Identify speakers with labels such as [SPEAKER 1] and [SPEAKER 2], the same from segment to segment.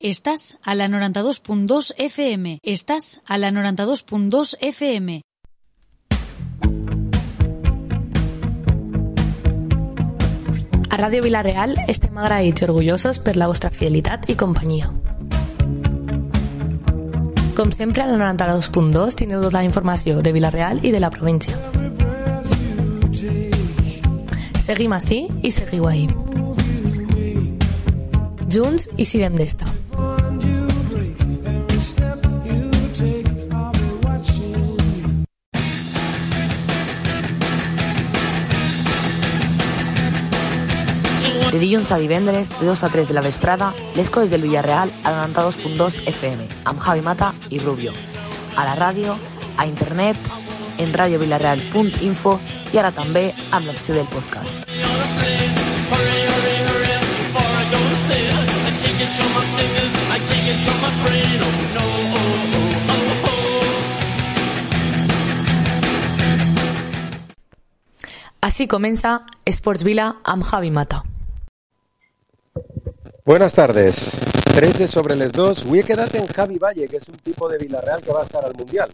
[SPEAKER 1] Estàs a la 92.2 FM. Estàs a la 92.2 FM.
[SPEAKER 2] A Ràdio Vila-real estem agraïts i orgullosos per la vostra fidelitat i companyia. Com sempre, a la 92.2 tindreu tota la informació de Vila-real i de la província. Seguim ací i seguiu ahí. Junts i sirem d'esta.
[SPEAKER 3] De dilluns a divendres, de 2 a 3 de la vesprada, les coses del Villarreal a la 92.2 FM, amb Javi Mata i Rubio. A la ràdio, a internet, en radiovillarreal.info i ara també amb l'opció del podcast.
[SPEAKER 2] Així comença Esports Vila amb Javi Mata.
[SPEAKER 4] Buenas tardes. 13 sobre les 2. Avui he quedat en Javi Valle, que és un tipus de Villarreal que va estar al Mundial.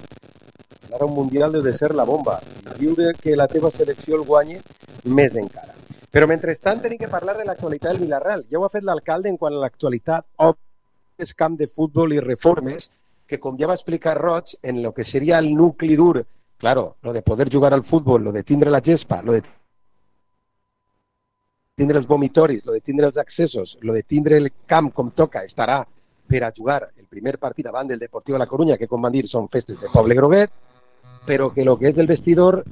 [SPEAKER 4] Ara un Mundial deu de ser la bomba. I viure que la teva selecció el guanyi més encara. Però mentrestant tenim que parlar de l'actualitat del Villarreal. Ja ho ha fet l'alcalde en quant a l'actualitat, és camp de futbol i reformes, que com ja va explicar Roig, en lo que seria el nucli dur, claro, lo de poder jugar al futbol, lo de tindre la gespa, lo de tindre els vomitoris, lo de tindre els accessos, lo de tindre el camp com toca, estarà per a jugar el primer partit davant del Deportiu de la Corunya, que com van dir són festes de Poble Groguet, però que lo que és el vestidor,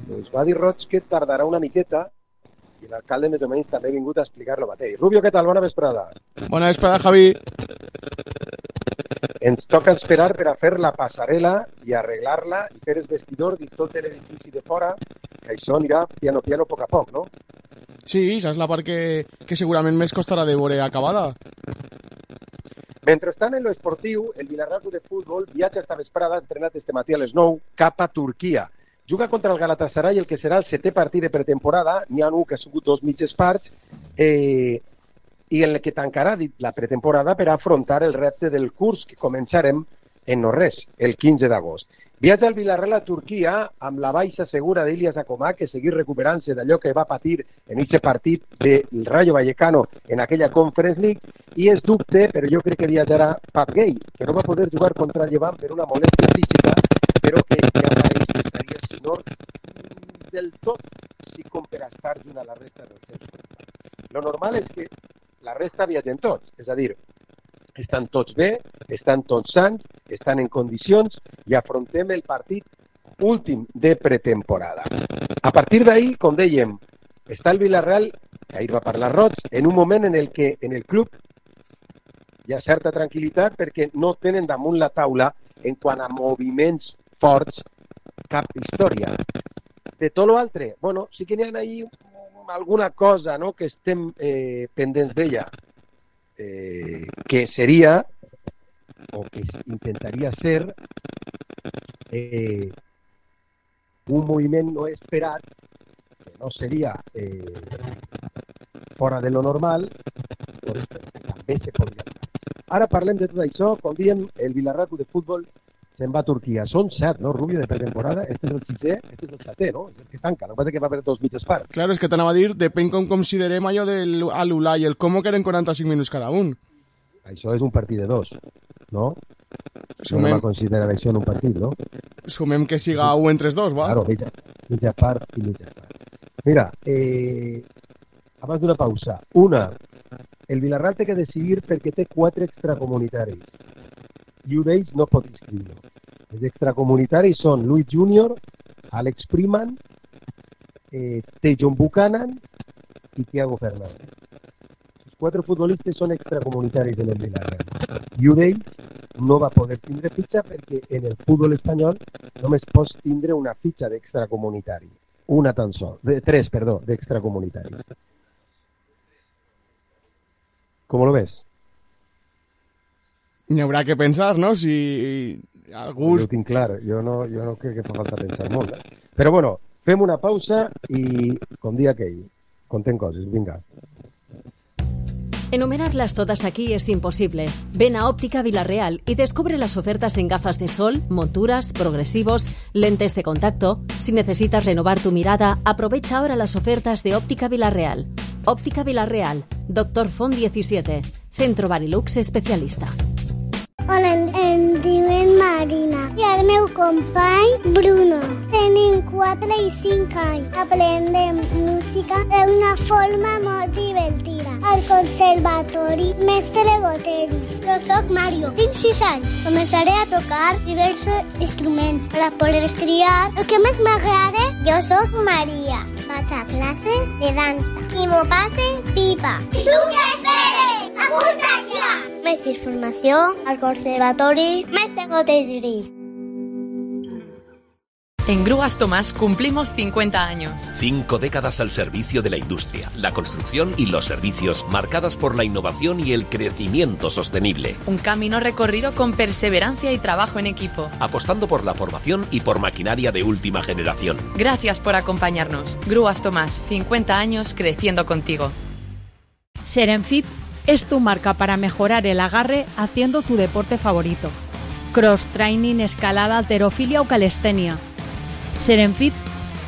[SPEAKER 4] doncs va dir Roig que tardarà una miqueta, i l'alcalde més o menys també ha vingut a explicar-lo mateix. Rubio, què tal? Bona vesprada.
[SPEAKER 5] Bona vesprada, Javi.
[SPEAKER 4] Ens toca esperar per a fer la passarel·la i arreglar-la i fer el vestidor i tot l'edifici de fora, que això anirà piano piano, a poc a poc, no?
[SPEAKER 5] Sí, això és la part que segurament més costarà de veure acabada.
[SPEAKER 4] Mentrestant, en l'esportiu, el Villarreal de Futbol viatja esta vesprada, entrenat este matí a les 9, cap a Turquia. Juga contra el Galatasaray, el que serà el 7è partit de pretemporada. N'hi ha un que ha sigut 2 mitges parts, i en el que tancarà la pretemporada per afrontar el repte del curs que començarem en no res, el 15 d'agost. Viatja el Villarreal a Turquia amb la baixa segura d'Ilias Akomah, que seguir recuperant-se d'allò que va patir en aquest partit del Rayo Vallecano en aquella Conference League, i és dubte, però jo crec que viatjarà Pap Gay, que no va poder jugar contra el Llevant per una molèstia física, però que ja pareix que estaria sinor del tot, si com per estar junt a la resta dels seus. Lo normal és que la resta viatgen tots, és a dir, estan tots bé, estan tots sants, estan en condicions i afrontem el partit últim de pretemporada. A partir d'ahir, com dèiem, està el Villarreal, que ahir va parlar Roig, en un moment en el que en el club hi ha certa tranquil·litat perquè no tenen damunt la taula en quant a moviments forts cap història. De tot l'altre, bueno, sí que n'hi ha ahí alguna cosa, no?, que estem pendents d'ella, que seria, o que intentaria ser, un moviment no esperat, que no seria fora de lo normal, però també se podria. Ara parlem de tot això. Com diem, el Villarreal de Futbol se'n va a Turquia. Són 7, no, Rubio, de pretemporada? Este és el 6è, este és el 7è, no? És el que tanca. No passa que va haver 2 mitges parts.
[SPEAKER 5] Claro, és que t'anava a dir, depèn com considerem allò de l'Ulà i el Como, que eren 45 minuts cada un.
[SPEAKER 4] Això és un partit de 2, no?
[SPEAKER 5] Sumem...
[SPEAKER 4] No va considerar això en un partit, no?
[SPEAKER 5] Sumem que siga 1 entre els dos, va?
[SPEAKER 4] Claro, mitja part i mitja part. Mira, abans d'una pausa. Una, el Villarreal té que decidir perquè té 4 extracomunitaris i un d'ells no pot inscriure. Els extracomunitaris són Luis Junior, Alex Freeman, John Buchanan i Thiago Fernández. Els 4 futbolistes són extracomunitaris en el Villarreal i un d'ells no va poder tindre fitxa perquè en el futbol espanyol només pots tindre una fitxa d'extracomunitari. Una tan sol. 3, perdó, d'extracomunitaris. ¿Cómo lo ves?
[SPEAKER 5] N'hi haurà que pensar, no? Si algú...
[SPEAKER 4] Jo ho tinc clar, jo no crec que fa falta pensar molt. Però bueno, fem una pausa i, com dia aquell, contem coses, vinga.
[SPEAKER 6] Enumerarlas todas aquí es imposible. Ven a Óptica Vilarreal y descubre las ofertas en gafas de sol, monturas, progresivos, lentes de contacto. Si necesitas renovar tu mirada, aprovecha ahora las ofertas de Óptica Vilarreal. Óptica Vilarreal, Dr. Font 17, Centro Barilux especialista.
[SPEAKER 7] Hola, em diuen Marina i el meu company Bruno. Tenim 4 i 5 anys. Aprendem música d'una forma molt divertida. Al Conservatori Mestre Goteris. Jo soc Mario, tinc 6 anys. Començaré a tocar diversos instruments per a poder triar el que més m'agrada. Jo soc Maria. Vaig a classes de dansa i m'ho passe pipa. Tu què esperes? Apunta't ja! Més informació al Conservatori Mestre Goteris.
[SPEAKER 8] En Grúas Tomás cumplimos 50 años.
[SPEAKER 9] 5 décadas al servicio de la industria, la construcción y los servicios, marcadas por la innovación y el crecimiento sostenible.
[SPEAKER 8] Un camino recorrido con perseverancia y trabajo en equipo.
[SPEAKER 9] Apostando por la formación y por maquinaria de última generación.
[SPEAKER 8] Gracias por acompañarnos. Grúas Tomás, 50 años creciendo contigo.
[SPEAKER 10] Serenfit es tu marca para mejorar el agarre haciendo tu deporte favorito. Cross training, escalada, halterofilia o calistenia. Serenfit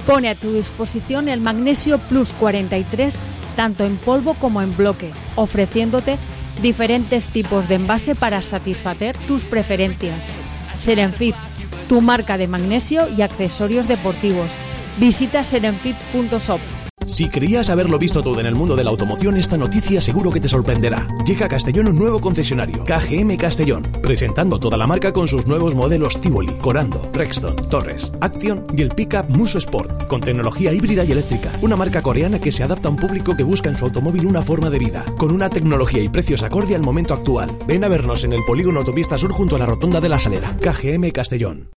[SPEAKER 10] pone a tu disposición el Magnesio Plus 43 tanto en polvo como en bloque, ofreciéndote diferentes tipos de envase para satisfacer tus preferencias. Serenfit, tu marca de magnesio y accesorios deportivos. Visita serenfit.shop.
[SPEAKER 11] Si creías haberlo visto todo en el mundo de la automoción, esta noticia seguro que te sorprenderá. Llega a Castellón un nuevo concesionario, KGM Castellón, presentando toda la marca con sus nuevos modelos Tivoli, Corando, Rexton, Torres, Action y el pickup Muso Sport, con tecnología híbrida y eléctrica. Una marca coreana que se adapta a un público que busca en su automóvil una forma de vida, con una tecnología y precios acorde al momento actual. Ven a vernos en el polígono Autopista Sur junto a la Rotonda de la Salera. KGM Castellón.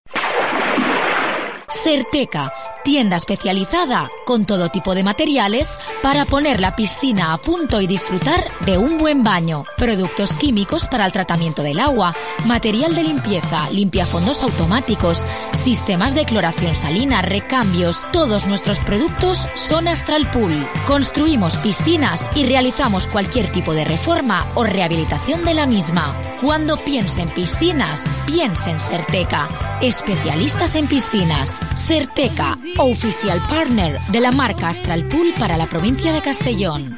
[SPEAKER 1] Serteca, tienda especializada con todo tipo de materiales para poner la piscina a punto y disfrutar de un buen baño. Productos químicos para el tratamiento del agua, material de limpieza, limpiafondos automáticos, sistemas de cloración salina, recambios. Todos nuestros productos son Astral Pool. Construimos piscinas y realizamos cualquier tipo de reforma o rehabilitación de la misma. Cuando piense en piscinas, piense en Serteca. Especialistas en piscinas. Serteca, oficial partner de la marca Astral Pool para la provincia de Castellón.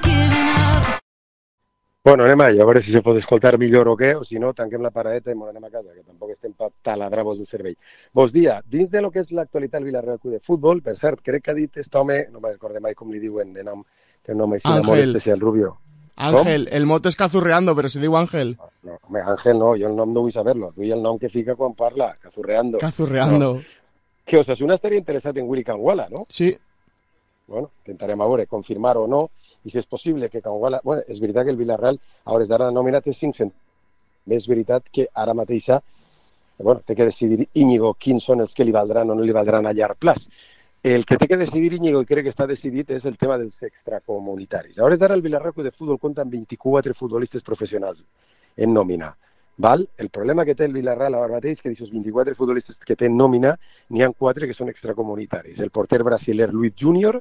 [SPEAKER 4] Bueno, anem allà, a veure si se pot escoltar millor o què, o si no, tanquem la paradeta i ens anem a casa, que tampoc estem per taladrar-vos del cervell. Bon dia, dins de lo que és l'actualitat del Vilarreal Club de Futbol, per cert, crec que ha dit aquest home, no me'n recordo mai com li diuen de nom, té un nom així de molt especial, Rubio.
[SPEAKER 5] Ángel, el mot és Cazurreando, però se diu Ángel.
[SPEAKER 4] No, home, Ángel no, jo el nom no vull saber-lo, vull el nom que fica quan parla, Cazurreando.
[SPEAKER 5] Cazurreando.
[SPEAKER 4] No. Que Osasuna estaria interessat en Willy Canguala, no?
[SPEAKER 5] Sí.
[SPEAKER 4] Bueno, intentarem a veure, confirmar o no, i si és possible que Canguala... Bueno, és veritat que el Villarreal, a hores d'ara, nominat és 500. És veritat que ara mateixa, bueno, té que decidir Íñigo quins són els que li valdran o no li valdran a llarg plaç. El que té que decidir Íñigo, i crec que està decidit, és el tema dels extracomunitaris. A hores d'ara, el Villarreal Club de Futbol compta amb 24 futbolistes professionals en nòmina. Val? El problema que té el Villarreal ara mateix és que d'aquests 24 futbolistes que té en nòmina, n'hi ha 4 que són extracomunitaris. El porter brasiler Luis Junior,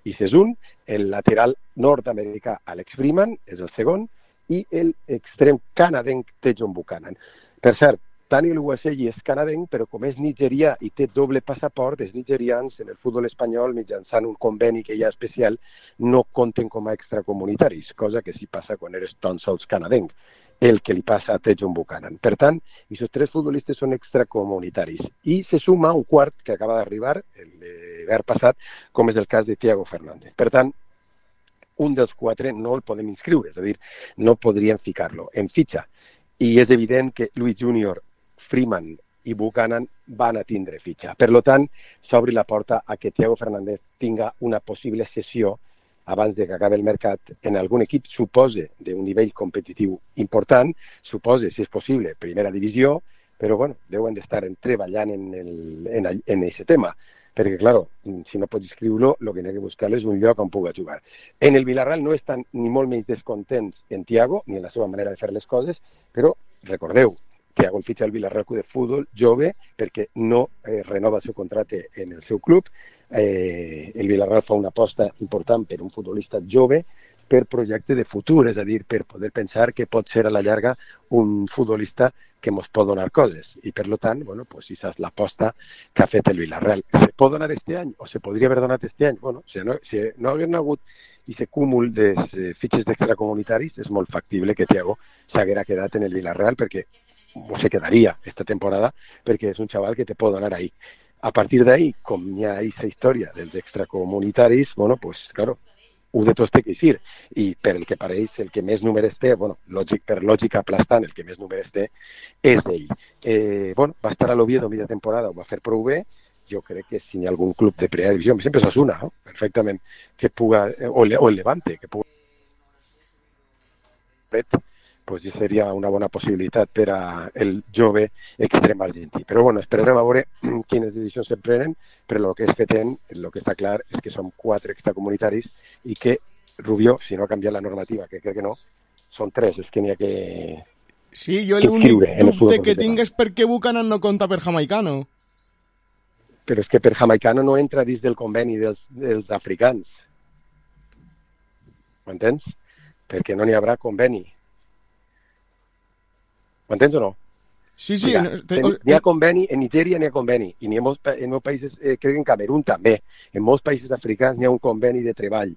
[SPEAKER 4] i és un, el lateral nord-americà Alex Freeman, és el segon, i l'extrem canadenc Tejon Buchanan. Per cert, Daniel Uwaselli és canadenc, però com és nigerià i té doble passaport, els nigerians en el futbol espanyol, mitjançant un conveni que hi ha especial, no compten com a extracomunitaris, cosa que sí passa quan eres tan sols canadenc, el que li passa a Tejon Buchanan. Per tant, aquests 3 futbolistes són extracomunitaris. I se suma un quart que acaba d'arribar, l'hivern passat, com és el cas de Thiago Fernández. Per tant, un dels 4 no el podem inscriure, és a dir, no podríem ficar-lo en fitxa. I és evident que Luis Junior, Freeman i Buchanan van a tindre fitxa. Per tant, s'obri la porta a que Thiago Fernández tinga una possible cessió abans de que acabi el mercat en algun equip, supose, d'un nivell competitiu important, supose, si és possible, primera divisió, però bueno, deuen d'estar treballant en aquest tema, perquè, clar, si no pots inscriure-lo, el que n'hi ha que buscar és un lloc on pugui jugar. En el Villarreal no estan ni molt menys descontents en Thiago, ni en la seva manera de fer les coses, però recordeu, Thiago el fitxa al Villarreal Club de Futbol jove perquè no renova el seu contracte en el seu club. El Villarreal fa una aposta important per un futbolista jove per projecte de futur, és a dir, per poder pensar que pot ser a la llarga un futbolista que ens pot donar coses. I, per tant, bueno, pues, això és l'aposta que ha fet el Villarreal. Se pot donar este any o se podria haver donat este any? Bueno, si no hagués hagut aquest cúmul de fitxes d'extracomunitaris, és molt factible que Thiago s'haguera quedat en el Villarreal, perquè o se quedaria esta temporada, perquè és un xaval que te pot donar ahí. A partir d'ahí, com hi ha aquesta història dels extracomunitaris, bueno, pues, claro, un de tots té que eixir, i per el que pareix, el que més números té, bueno, per lògica aplastant, el que més números té és ell. Bueno, va estar a l'Oviedo mitja temporada, ho va fer prou bé. Jo crec que si hi ha algun club de primera divisió, sempre s'assuna, no? Perfectament, que puga, o el Levante, que puga, pues ja seria una bona possibilitat per a el jove extrem argentí. Però bueno, esperarem a veure quines decisions se prenen, però el que és fetent, el que està clar és que són 4 extracomunitaris i que Rubio, si no ha canviat la normativa, que crec que no, són 3, és que n'hi ha que...
[SPEAKER 5] Sí, jo l'únic dubte que tinc és per què Buchanan no compta per jamaicano.
[SPEAKER 4] Però és que per jamaicano no entra dins del conveni dels africans. Ho entens? Perquè no n'hi haurà conveni. Ho entens o no?
[SPEAKER 5] Sí, sí.
[SPEAKER 4] N'hi ha conveni, en Nigèria n'hi ha conveni, i en molts països, crec que en Camerún també, en molts països africans n'hi ha un conveni de treball.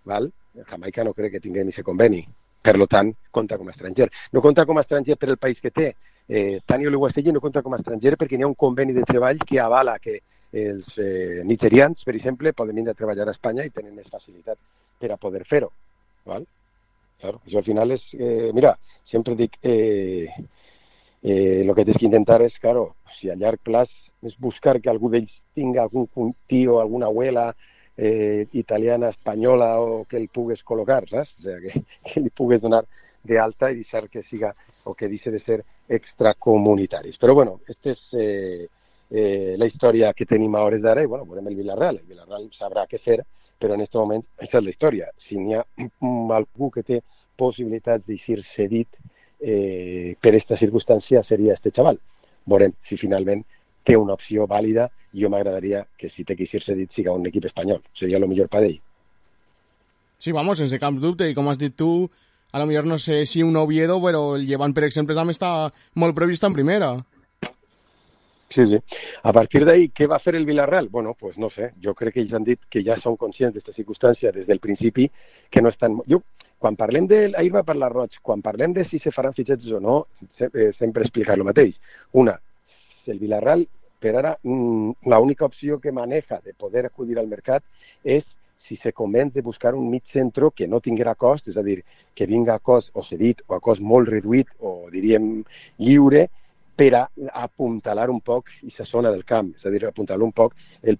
[SPEAKER 4] Val? Jamaica no crec que tinguem aquest conveni. Per tant, compta com a estranger. No compta com a estranger per el país que té. Tani Oluwaseyi no compta com a estranger perquè n'hi ha un conveni de treball que avala que els nigerians, per exemple, poden vindre a treballar a Espanya i tenen més facilitat per a poder fer-ho. Claro, això al final és... mira, sempre dic... el que tens que intentar és, claro, si a llarg plaç és buscar que algú d'ells tinga algun tio, alguna abuela italiana, espanyola, o que el pugues col·locar, saps? O sigui, que li pugues donar d'alta i deixar que siga, o que deixi de ser extracomunitaris. Però bueno, aquesta és la història que tenim a hores d'ara, i bueno, veurem el Villarreal sabrà què fer, però en aquest moment aquesta és la història. Si n'hi ha algú que té possibilitats d'eixir cedit per aquesta circumstància seria este xaval. Veurem si finalment té una opció vàlida, i jo m'agradaria que si té que eixir cedit siga un equip espanyol, seria el millor per ell.
[SPEAKER 5] Sí, vamos, sense cap dubte, i com has dit tu, a lo millor no sé si un Oviedo, però el Llevant, per exemple, també està molt previst en primera.
[SPEAKER 4] Sí, sí. A partir d'ahí, què va fer el Villarreal? Bueno, pues no sé. Jo crec que ells han dit que ja són conscients d'aquesta circumstància des del principi, que no estan... Quan parlem ahir va parlar Roig, quan parlem de si se faran fitxatges o no, sempre explicar el mateix. Una, el Villarreal, per ara, l'única opció que maneja de poder acudir al mercat és si se convenç de buscar un mig centro que no tinguera cost, és a dir, que vinga a cost o cedit o a cost molt reduït o, diríem, lliure, per a apuntalar un poc aquesta zona del camp, és a dir, apuntalar un poc el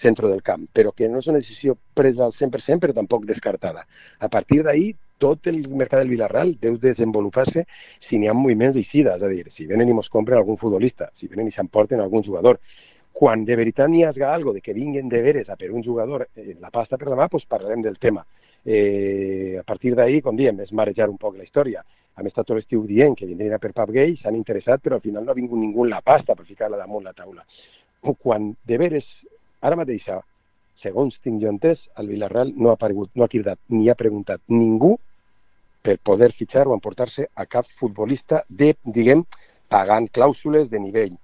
[SPEAKER 4] centre del camp, però que no és una decisió presa al 100%, però tampoc descartada. A partir d'ahí, tot el mercat del Villarreal deu desenvolupar-se si n'hi ha moviments d'eixida, és a dir, si venen i ens compren algun futbolista, si venen i s'emporten algun jugador. Quan de veritat n'hi hagi alguna cosa de que vinguin de veres a per un jugador la pasta per la mà, doncs parlarem del tema. A partir d'ahí, com diem, és marejar un poc la història. Hem estat tot l'estiu dient que vindrien a per Pap Gay, s'han interessat, però al final no ha vingut ningú la pasta per ficar-la damunt la taula. Quan de veres, ara mateix, segons tinc jo entès, el Villarreal no ha cridat ni ha preguntat ningú per poder fitxar o emportar-se a cap futbolista de, diguem, pagant clàusules de nivell.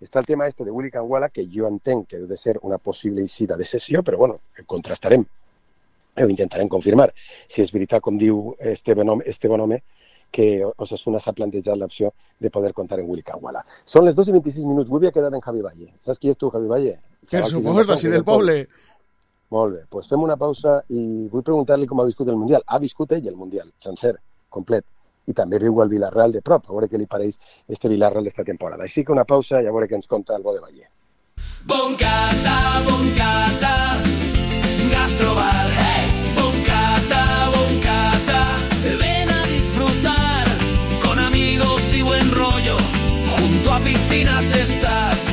[SPEAKER 4] Està el tema de Willy Kangwala, que jo entenc que deu de ser una possible eixida de sessió, però bueno, contrastarem, ho intentarem confirmar. Si és veritat, com diu este bon home, que Osasuna s'ha plantejat l'opció de poder comptar en Willy Kangwala. Són les 2:26 minuts, vull quedar en Javi Valle. Saps qui és tu, Javi Valle?
[SPEAKER 5] Per suposo, així del poble.
[SPEAKER 4] Molt bé, doncs fem una pausa i vull preguntar-li com ha viscut el Mundial. Ha viscut ell el Mundial, sencer, complet, i també viu el Villarreal de prop, a veure què li pareix este Villarreal d'esta temporada. Així que una pausa i a veure què ens conta el bo de Valle.
[SPEAKER 12] Boncata, Gastrobar, hey! Boncata, ven a disfrutar, con amigos y buen rollo, junto a piscinas estás.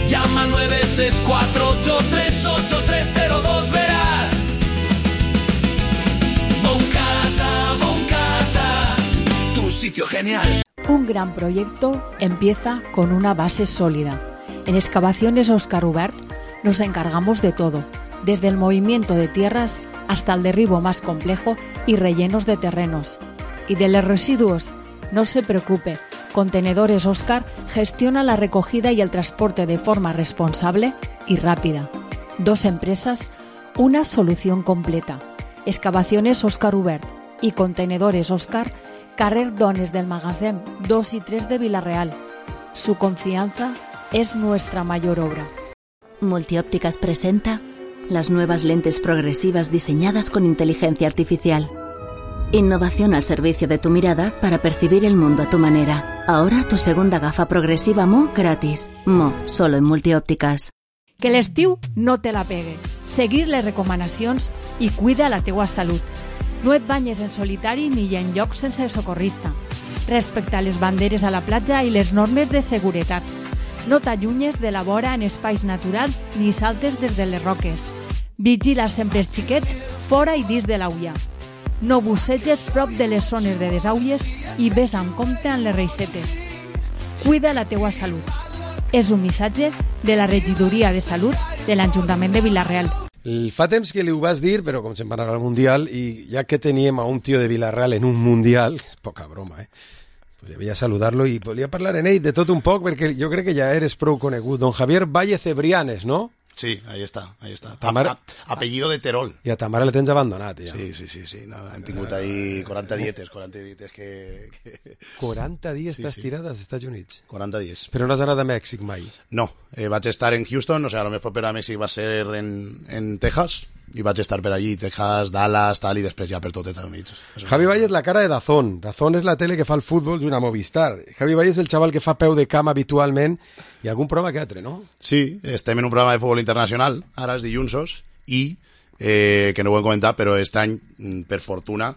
[SPEAKER 12] Llama al 964838302, verás. Boncata, tu sitio genial.
[SPEAKER 10] Un gran proyecto empieza con una base sólida. En Excavaciones Óscar Ubert nos encargamos de todo, desde el movimiento de tierras hasta el derribo más complejo y rellenos de terrenos. Y de los residuos, no se preocupe, Contenedores Oscar gestiona la recogida y el transporte de forma responsable y rápida. 2 empresas, una solución completa. Excavaciones Oscar Hubert y Contenedores Oscar, carrer Dones del Magasin 2 y 3 de Vila-real. Su confianza es nuestra mayor obra.
[SPEAKER 13] Multiópticas presenta las nuevas lentes progresivas diseñadas con inteligencia artificial. Innovación al servicio de tu mirada para percibir el mundo a tu manera. Ahora tu segunda gafa progresiva Mo gratis. Mo, solo en Multiòptiques.
[SPEAKER 10] Que l'estiu no te la pegue. Seguir les recomanacions i cuida la teua salut. No et banyes en solitari ni en llocs sense socorrista. Respecta les banderes a la platja i les normes de seguretat. No t'allunyes de la vora en espais naturals ni saltes des de les roques. Vigila sempre els xiquets fora i dins de l'aulla. No busseges prop de les zones de desaulles i ves amb compte en les reixetes. Cuida la teua salut. És un missatge de la Regidoria de Salut de l'Ajuntament de Vila-real.
[SPEAKER 14] Fa temps que li ho vas dir, però com se'n va anar al Mundial, i ja que teníem a un tio de Vila-real en un Mundial, és poca broma, pues havia saludar-lo i volia parlar en ell de tot un poc, perquè jo crec que ja eres prou conegut. Don Javier Valle Cebrianes, no?
[SPEAKER 15] Sí, ahí está. Apellido de Terol.
[SPEAKER 14] I a ta mare la tens abandonat, ja.
[SPEAKER 15] Sí. No, hem tingut ahí 40 dietes que...
[SPEAKER 14] 40 dies t'has tirat als Estats Units?
[SPEAKER 15] 40 dies.
[SPEAKER 14] Però no has anat a Mèxic mai?
[SPEAKER 15] No, vaig estar en Houston, o sea, lo més proper a Mèxic va ser en Texas, i vaig estar per allí, Texas, Dallas, tal, i després ja per tot Estats Units.
[SPEAKER 14] Javi Valle és la cara de Dazón. Dazón és la tele que fa el futbol d'una Movistar. Javi Valle és el xaval que fa peu de cama habitualment i algun programa que altre, no?
[SPEAKER 15] Sí, estem en un programa de futbol internacional, ara és dillunsos, i que no ho hem comentat, però aquest any, per fortuna,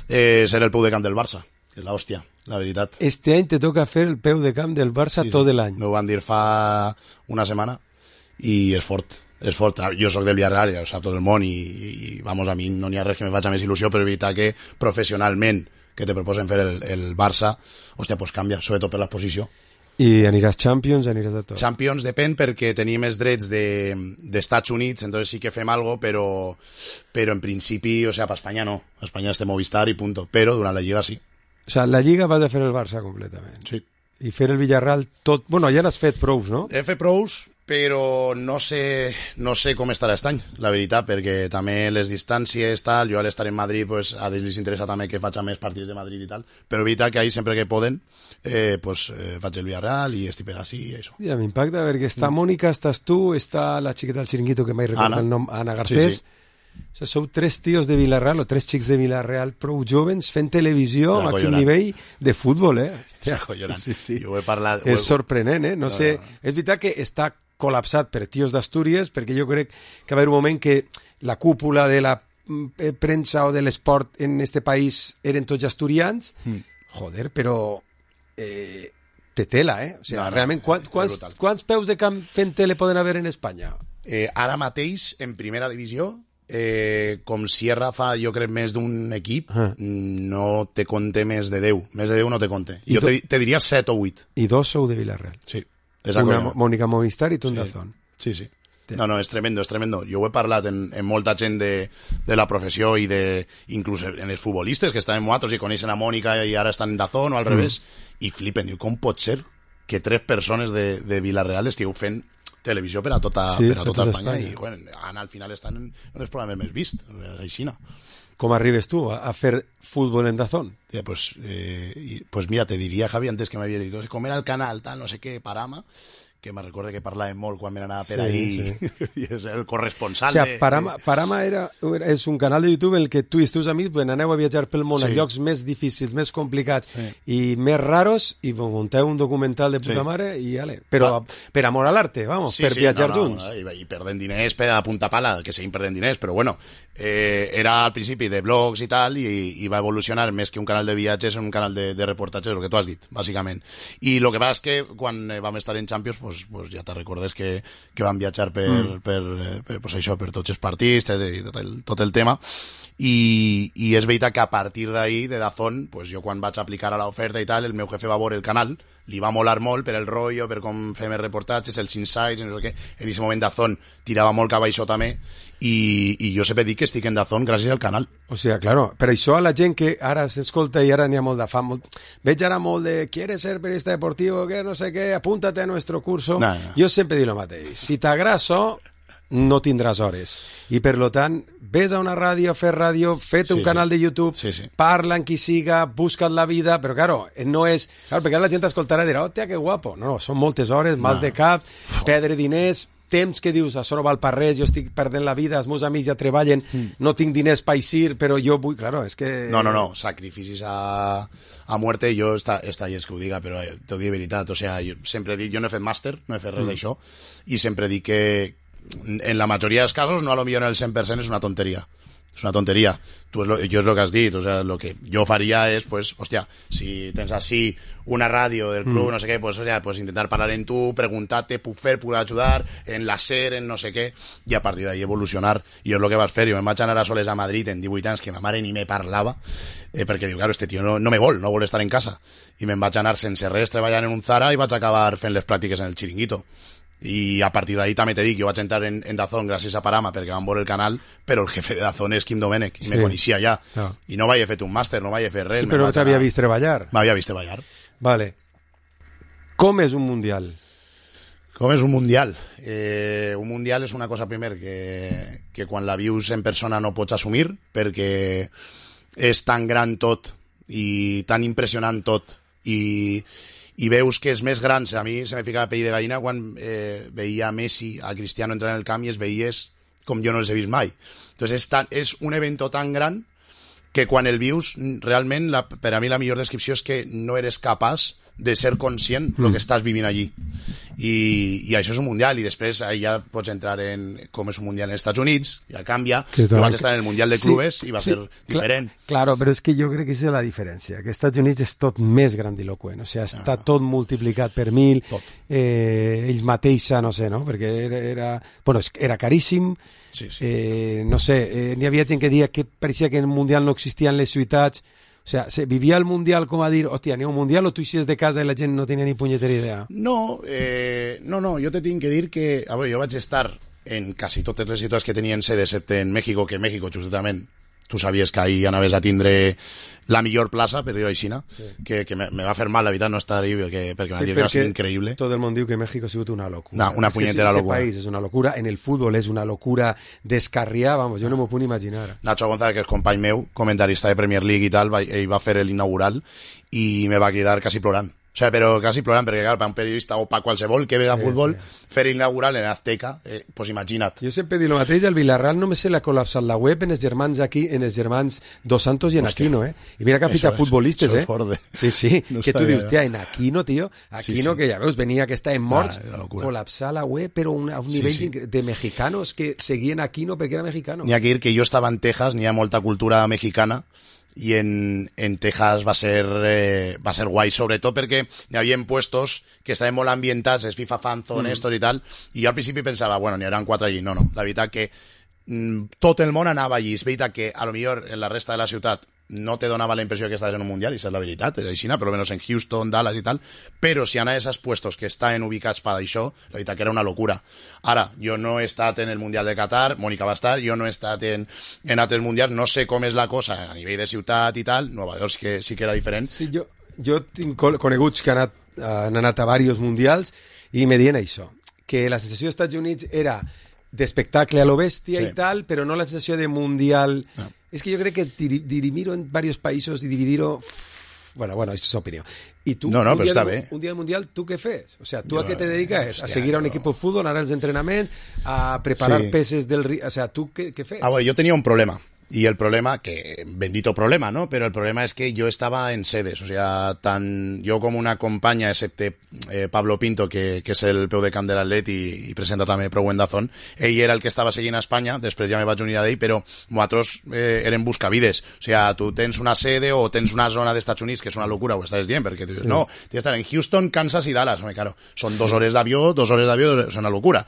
[SPEAKER 15] serà el peu de camp del Barça, que és l'hòstia, la veritat.
[SPEAKER 14] Este any te toca fer el peu de camp del Barça tot l'any.
[SPEAKER 15] M'ho van dir fa una setmana i és fort. És fort. Jo soc del Villarreal, ja ho sap tot el món, i vamos, a mi no n'hi ha res que me faci més il·lusió, però evitar que professionalment que te proposen fer el Barça, hòstia, pues canvia, sobretot per la posició.
[SPEAKER 14] I aniràs Champions, aniràs de tot?
[SPEAKER 15] Champions depèn, perquè tenim els drets d'Estats Units, entonces sí que fem algo, però en principi, o sea, per Espanya no. A Espanya estem Movistar i punto, però durant la Lliga sí.
[SPEAKER 14] O sea, la Lliga vas a fer el Barça completament.
[SPEAKER 15] Sí.
[SPEAKER 14] I fer el Villarreal tot... Bueno, ja n'has fet prous, no?
[SPEAKER 15] He fet prous, però no sé com estarà aquest any, la veritat, perquè també les distàncies, tal, jo al estar en Madrid, pues, a ells els interessa també que faig més partits de Madrid i tal, però veritat que ahí sempre que poden, faig el Villarreal i estic per així i això.
[SPEAKER 14] Ja m'impacta, perquè està Mònica, estàs tu, està la xiqueta del Chiringuito, que mai recorda el nom, Ana Garcés. Sí. O sigui, sou 3 tios de Vila-real, o 3 xics de Vila-real prou jovens fent televisió a màxim nivell de futbol,
[SPEAKER 15] Sí. Jo he parlat...
[SPEAKER 14] És sorprenent, No sé, és veritat que està col·lapsat per tios d'Astúries, perquè jo crec que va haver un moment que la cúpula de la premsa o de l'esport en este país eren tots asturians. Joder, però té tela, O sigui, realment, quants peus de camp fent tele poden haver en Espanya?
[SPEAKER 15] Ara mateix, en primera divisió, com Sierra fa, jo crec, més d'un equip, no te compte més de 10. Més de 10 no te compte. Jo te diria 7 o 8.
[SPEAKER 14] I 2 sou de Vila-real.
[SPEAKER 15] Sí.
[SPEAKER 14] Una Mònica Movistar i tu un Dazón.
[SPEAKER 15] Sí. No, és tremendo, és tremendo. Jo ho he parlat en molta gent de la professió i inclús en els futbolistes que estan en nosaltres i coneixen a Mònica i ara estan en Dazón o al revés, i flipen. Diu, com pot ser que 3 persones de Vila-real estigueu fent televisió per a tota Espanya i bueno, al final estan en els programes més vist, així no.
[SPEAKER 14] Com arribes tu a fer futbol en Dazón?
[SPEAKER 15] Pues mira, te diria, Javi, antes que m'havia dit, com era el canal, tal, no sé què, Parama, que me recorda que parlàvem molt quan me n'anava per ahí, i és el corresponsal.
[SPEAKER 14] O sigui, Parama és un canal de YouTube en el que tu i els teus amics aneu a viatjar pel món a llocs més difícils, més complicats i més raros, i munteu un documental de puta mare, i ale. Però per amor a l'arte, vamos, per viatjar junts.
[SPEAKER 15] I perdent diners per a punta pala, que seguim perdent diners, però bueno, era al principi de blogs i tal, i va evolucionar més que un canal de viatges en un canal de reportatges, el que tu has dit, bàsicament. I el que passa és que quan vam estar en Champions, pues ja te recordes que van viatjar per tots els partits i tot el tema, i és veritat que a partir d'ahí, de Dazón, pues jo quan vaig aplicar a l'oferta i tal, el meu jefe va veure el canal, li va molar molt per el rotllo, per com fem els reportatges, els insights, no sé què. En aquest moment Dazón tirava molt cap a això també, i jo sempre dic que estic en Dazón gràcies al canal.
[SPEAKER 14] O sigui, claro, per això a la gent que ara s'escolta i ara n'hi ha molt de fam, veig ara molt de ¿quieres ser periodista deportivo? Que no sé què, apúntate a nuestro curso. Jo sempre dic el mateix, si t'agrada això, no tindràs hores. I per lo tant, ves a una ràdio, fer ràdio, fet un canal de YouTube, parla amb qui siga, busca't la vida, però claro, no és... Claro, perquè la gent escoltarà i dirà, hòstia, que guapo. No, són moltes hores, mals de cap, perdre diners, temps que dius, això no val per res, jo estic perdent la vida, els meus amics ja treballen, no tinc diners per eixir, però jo vull... Claro, és que...
[SPEAKER 15] No, sacrificis a muerte, jo està llest que ho diga, però t'ho dic de veritat, o sea, jo sempre dic, jo no he fet màster, no he fet res d'això, i sempre dic que en la majoria dels casos, no a lo millor en el 100% és una tonteria. És una tonteria. Jo és el que has dit, o sea, lo que jo faria és, pues, hòstia, si tens així una ràdio del club, no sé què, pues, pues intentar parlar en tu, preguntar-te, puc fer, puc ajudar, en la SER, en no sé què, i a partir d'ahí evolucionar. I és el que vas fer. Jo me'n vaig anar a soles a Madrid en 18 anys, que ma mare ni me parlava, perquè diu, claro, este tio no me vol estar en casa. I me'n vaig anar sense res treballant en un Zara i vaig acabar fent les pràctiques en el Chiringuito. I a partir d'ahí també te dic, jo vaig entrar en Dazón gràcies a Parama perquè van veure el canal, però el jefe de Dazón és Quim Domènech i me coneixia ja, i no vaig fet un màster, no vaig fer res.
[SPEAKER 14] Sí, però t'havia vist treballar.
[SPEAKER 15] M'havia vist treballar.
[SPEAKER 14] Vale. Com és un mundial?
[SPEAKER 15] Com és un mundial? Un mundial és una cosa, primer, que quan la vius en persona no pots assumir, perquè és tan gran tot i tan impressionant tot, i veus que és més gran. A mi se me fica la pell de gallina quan veia a Messi, a Cristiano entrar en el camp i es veies com jo no els he vist mai. Entonces és un evento tan gran que quan el vius, realment, per a mi la millor descripció és que no eres capaç de ser conscient del que estàs vivint allí. I això és un mundial, i després ja pots entrar en com és un mundial als Estats Units, ja canvia, jo vaig estar en el mundial de clubes i va ser diferent.
[SPEAKER 14] Claro, però és que jo crec que és la diferència, que als Estats Units és tot més grandiloquent, o sigui, està tot multiplicat per 1000, ells mateixa, no sé, no? Perquè era caríssim, no sé, n'hi havia gent que deia que pareixia que en el mundial no existien les ciutats. O sea, ¿se vivía el mundial como a dir, hostia, ni un mundial, o tú hiciste de casa y la gent no tenía ni punyetera idea?
[SPEAKER 15] No, jo te tinc que dir que, a veure, jo vaig estar en quasi totes les ciutats que tenien sede, excepte en México, que México, justament, tu sabies que ahí anaves a tindre la millor plaça, per dir-ho així, que me va fer mal, la veritat, no estar ahí, perquè m'ha dit que va ser increïble.
[SPEAKER 14] Tot el món diu que México ha sigut una locura.
[SPEAKER 15] Una punyetera locura.
[SPEAKER 14] Ese país és una locura, en el futbol és una locura descarriar, vamos, jo no m'ho puc imaginar.
[SPEAKER 15] Nacho González, que és company meu, comentarista de Premier League i tal, ell va fer l'inaugural i me va cridar quasi plorant. O sea, però quasi plorant, perquè clar, per un periodista o per qualsevol que ve a futbol, fer inaugural en Azteca, pues imagina't.
[SPEAKER 14] Jo sempre dic el mateix, al Villarreal només se l'ha col·lapsat la web en els germans aquí, en els germans Dos Santos i en Aquino, I mira que han fitxat futbolistes, Sí, no que tu dius, tia, en Aquino, tio, Aquino, que ja veus, venia que estaven morts, col·lapsar la web, però a un nivell de mexicanos que seguien Aquino perquè era mexicano.
[SPEAKER 15] N'hi ha que dir que jo estava en Texas, n'hi ha molta cultura mexicana, i en Texas va ser guai, sobretot perquè hi havia puestos que estaven molt ambientats, els FIFA Fanzone, i tal, i jo al principi pensava, bueno, n'hi hauran 4 allí. No, la veritat que tot el món anava allí. És veritat que a lo millor en la resta de la ciutat no te donava la impressió que estaves en un mundial, i això és la veritat, és així, per almenys en Houston, Dallas i tal, però si anaves als puestos que estaven ubicats per això, la veritat que era una locura. Ara, jo no he estat en el Mundial de Qatar, Mònica va estar, jo no he estat en altres mundials, no sé com és la cosa a nivell de ciutat i tal, Nova York sí que era diferent.
[SPEAKER 14] Sí, jo tinc coneguts que han anat a diversos mundials i me diuen això, que la sensació dels Estats Units era d'espectacle a lo bèstia i tal, però no la sensació de mundial... No. Es que yo creo que dirimir-ho en varios países y dividir-ho... Bueno, esa es su opinión. Y tú,
[SPEAKER 15] però està bé.
[SPEAKER 14] Un dia del Mundial, ¿tú qué fes? O sea, ¿tú a qué te dedicas? ¿A seguir a un equipo de fútbol, a anar als entrenaments, a preparar peces del río? O sea, ¿tú qué fes?
[SPEAKER 15] Bueno, yo tenía un problema. Y el problema, que bendito problema, ¿no? Pero el problema es que yo estaba en sedes, o sea, yo como una companya, excepte Pablo Pinto, que és el peu de camp de l'Atlet i presenta també Prou en Dazón, ell era el que estava seguint a Espanya, després ja me vaig unir a ell, però nosaltres eren buscavides, o sea, tu tens una sede o tens una zona d'Estats Units, que és una locura, ho estàs dient, perquè tu dius, no, tens que estar en Houston, Kansas i Dallas, claro, són 2 hores d'avió, és una locura.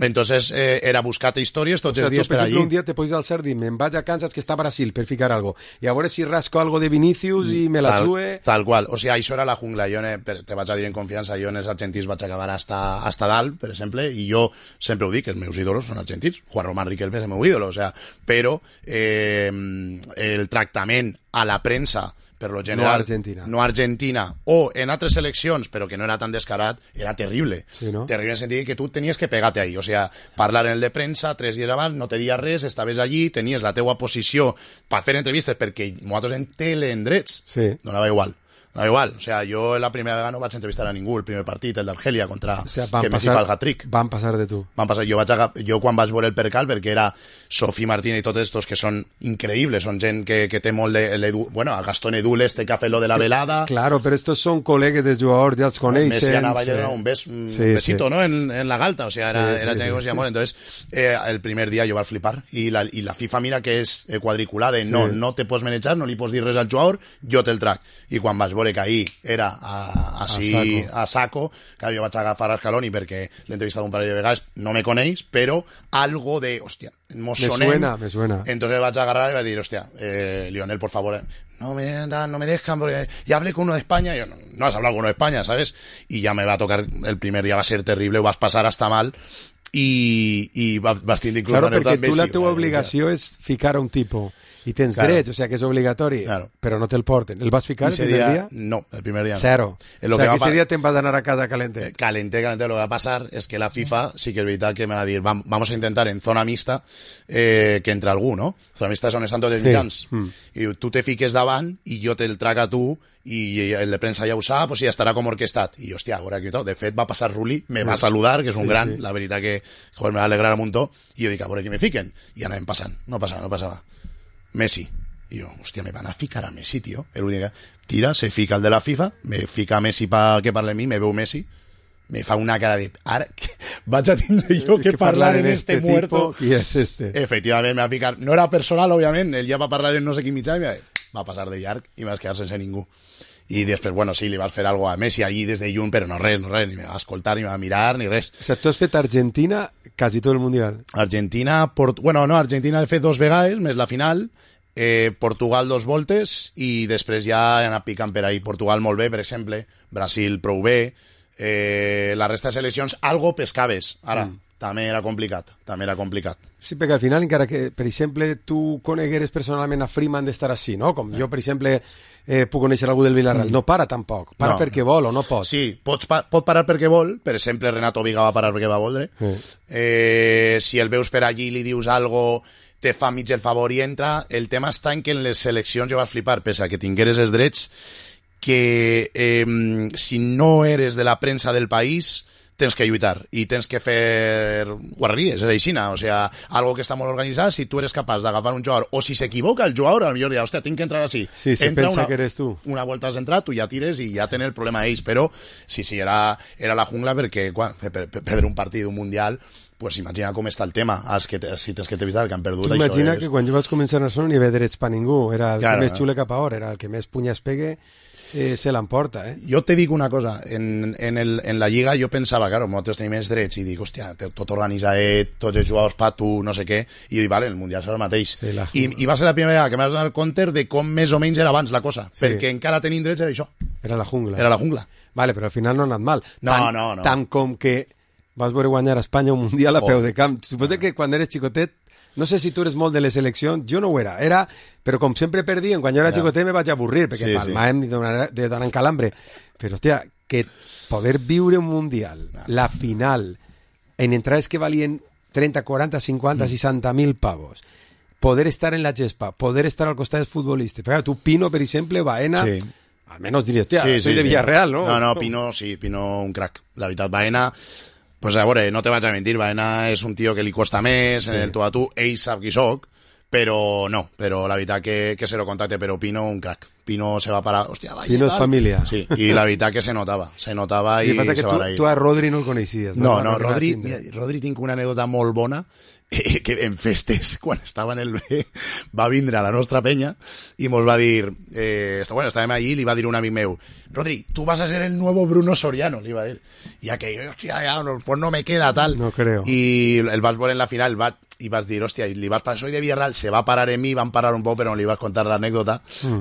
[SPEAKER 15] Entonces era buscar-te històries tots els dies per allí.
[SPEAKER 14] Un dia te podies alçar i dir, me'n vaig a Kansas que està a Brasil per ficar algo, i a veure si rasco algo de Vinicius i me la jue...
[SPEAKER 15] Tal qual, o sigui, això era la jungla. Jo te vaig a dir en confiança, jo en els argentins vaig acabar hasta dalt, per exemple, i jo sempre ho dic, els meus ídolos són argentins, Juan Román Riquelme és el meu ídolo, o sea, però el tractament a la premsa per lo general, no Argentina, o en altres seleccions, però que no era tan descarat, era terrible.
[SPEAKER 14] Sí, no?
[SPEAKER 15] Terrible en el sentit que tu tenies que pegar-te ahí, o sea, parlar en el de premsa 3 dies abans, no te dies res, estaves allí, tenies la teua posició per fer entrevistes, perquè nosaltres en telendrets, donava igual. No, igual, o sea, jo la primera vegada no vaig entrevistar a ningú, el primer partit, el d'Argèlia contra que Messi fa el hat-trick.
[SPEAKER 14] Van passar de tu.
[SPEAKER 15] Van passar, jo quan vaig veure el percal, perquè era Sofí Martínez i tots estos que són increïbles, són gent que té molt de... Bueno, a Gastón Edul este que ha fet lo de la velada...
[SPEAKER 14] Claro, però estos són col·legues dels jugadors, ja els coneixen...
[SPEAKER 15] Messi anava a donar un besito, ¿no? En la galta, o sea, era gent que coneixia molt. Entonces, el primer dia jo vaig flipar, i la FIFA mira que és quadriculada, no te pots manejar, no li pots dir res al jugador, jo te'l trac. I quan vaig veure que ahir era a saco, claro, jo vaig agafar a Scaloni perquè l'he entrevistat un parell de vegades, no me coneix, però algo de, hòstia, me suena. Entonces vaig agarrar y vaig dir, hòstia, Lionel, por favor, no me dejan, porque ya hablé con uno de España, y yo, no has hablado con uno de España, ¿sabes? Y ya me va a tocar, el primer día va a ser terrible, vas pasar hasta mal, i vas tindre inclús...
[SPEAKER 14] Claro, perquè tu la teva obligació és ficar a un tipus... I tens drets, o sea que és obligatori, però no te'l porten. El vas ficar el primer dia?
[SPEAKER 15] No, el primer dia no.
[SPEAKER 14] Cero. O sea que ese día te'n vas anar a casa calente.
[SPEAKER 15] Calente. Lo que va a pasar es que la FIFA sí que es verdad que me va a decir, vamos a intentar en zona mixta que entre algú, no? Zona mixta és on estan tots els mitjans. I tu te fiques davant i jo te'l trac a tu i el de premsa ja ho sap, o sigui, estarà com orquestat. I, hòstia, veure aquí tot. De fet, va passar Rulli, me va saludar, que és un gran, la veritat que joder, me va alegrar un muntó, i jo dic, a veure qui me fiquen. I anàvem passant, no passava. Messi. Y yo, hostia, me van a ficar a Messi, tío. El único tira, se fica el de la FIFA, me fica a Messi para que parle a mí, me veo Messi, me fa una cara de... Ara, vaig a tindre jo que parlar en este muerto.
[SPEAKER 14] Qui és este?
[SPEAKER 15] Efectivament, me va ficar... No era personal, òbviament, ell ja va parlar en no sé quin mitjà i va passar de llarg i vas quedar sense ningú. I després, bueno, sí, li vas fer algo a Messi allí des de lluny, però no res, ni me va escoltar, ni me va mirar, ni res.
[SPEAKER 14] O sea, tu has fet Argentina quasi tot el Mundial.
[SPEAKER 15] Argentina, Argentina he fet 2 vegades, més la final... Portugal 2 voltes i després ja he anat picant per ahí. Portugal molt bé, per exemple, Brasil prou bé, la resta de seleccions algo pescaves, ara també era complicat.
[SPEAKER 14] Sí, perquè al final, encara que, per exemple, tu conegueres personalment a Freeman d'estar així, no? Com jo, per exemple, puc conèixer algú del Villarreal. No para tampoc, para perquè vol o no pot.
[SPEAKER 15] Sí, pot parar perquè vol, per exemple, Renato Viga va parar perquè va voldre. Si el veus per allí i li dius algo... te fa mig el favor i entra. El tema està en que en les seleccions jo vas flipar, pese a que tingueres els drets, que si no eres de la premsa del país tens que lluitar i tens que fer guarreries, és aixina, o sea, algo que està molt organitzat. Si tu eres capaç d'agafar un jugador, o si s'equivoca el jugador, potser dirà, hòstia, tinc que entrar així.
[SPEAKER 14] Sí, se pensa que eres tu.
[SPEAKER 15] Una volta has entrat, tu ja tires i ja tenen el problema ells, però sí, era la jungla perquè per un partit d'un mundial, pues imagina com està el tema, si tens que t'evitar que han perdut.
[SPEAKER 14] Tu imagina que quan jo vaig començar a no n'hi havia drets per ningú, era el que més xule cap a hora, era el que més punyes pegue, se l'emporta,
[SPEAKER 15] Jo te dic una cosa, en la Lliga jo pensava, claro, nosaltres tenim més drets, i dic, hòstia, tot organitzat, tots els jugadors pa tu, no sé què, i dic, vale, el Mundial serà el mateix.
[SPEAKER 14] Sí,
[SPEAKER 15] I va ser la primera vegada que m'has donat compte de com més o menys era abans la cosa, perquè encara tenim drets, era això.
[SPEAKER 14] Era la jungla.
[SPEAKER 15] Vale,
[SPEAKER 14] però al final no ha anat mal.
[SPEAKER 15] No.
[SPEAKER 14] Tant com que vas veure guanyar a Espanya un Mundial a peu de camp. Suposo que quan eres xicotet, no sé si tu eres molt de les seleccions, jo no ho era, però com sempre perdien, quan jo era xicotet me vaig avorrir, perquè palmàvem de donar en calambre. Però, hòstia, que poder viure un Mundial, la final, en entrades que valien 30, 40, 50, 60.000 pavos, poder estar en la gespa, poder estar al costat dels futbolistes. Però tu, Pino, per exemple, Baena... Sí. Almenys diries, hòstia, soy de Villarreal, no?
[SPEAKER 15] No, Pino un crack. La veritat, Baena... Pues a veure, no te vaig a mentir, Baena és un tio que li costa més, en el tu a tu, ell sap qui soc, però la veritat que se lo contacte, però Pino un crack. Pino se va parar, hòstia, vaya.
[SPEAKER 14] Pino és família.
[SPEAKER 15] Sí, i la veritat que se notava i se va
[SPEAKER 14] que tu a Rodri no el coneixies.
[SPEAKER 15] No, Rodri tinc una anècdota molt bona. que en festes, quan estava en el B, va vindre a la nostra penya i mos va dir, estàvem allí i li va dir un amic meu, Rodri, tu vas a ser el nuevo Bruno Soriano, li va dir. I aquell, hòstia, pues no me queda tal.
[SPEAKER 14] No creo.
[SPEAKER 15] I el vas veure en la final i vas dir, hòstia, li vas parar, soy de Villarreal, se va a parar en mi, van parar un poc, però no li vas contar l'anècdota,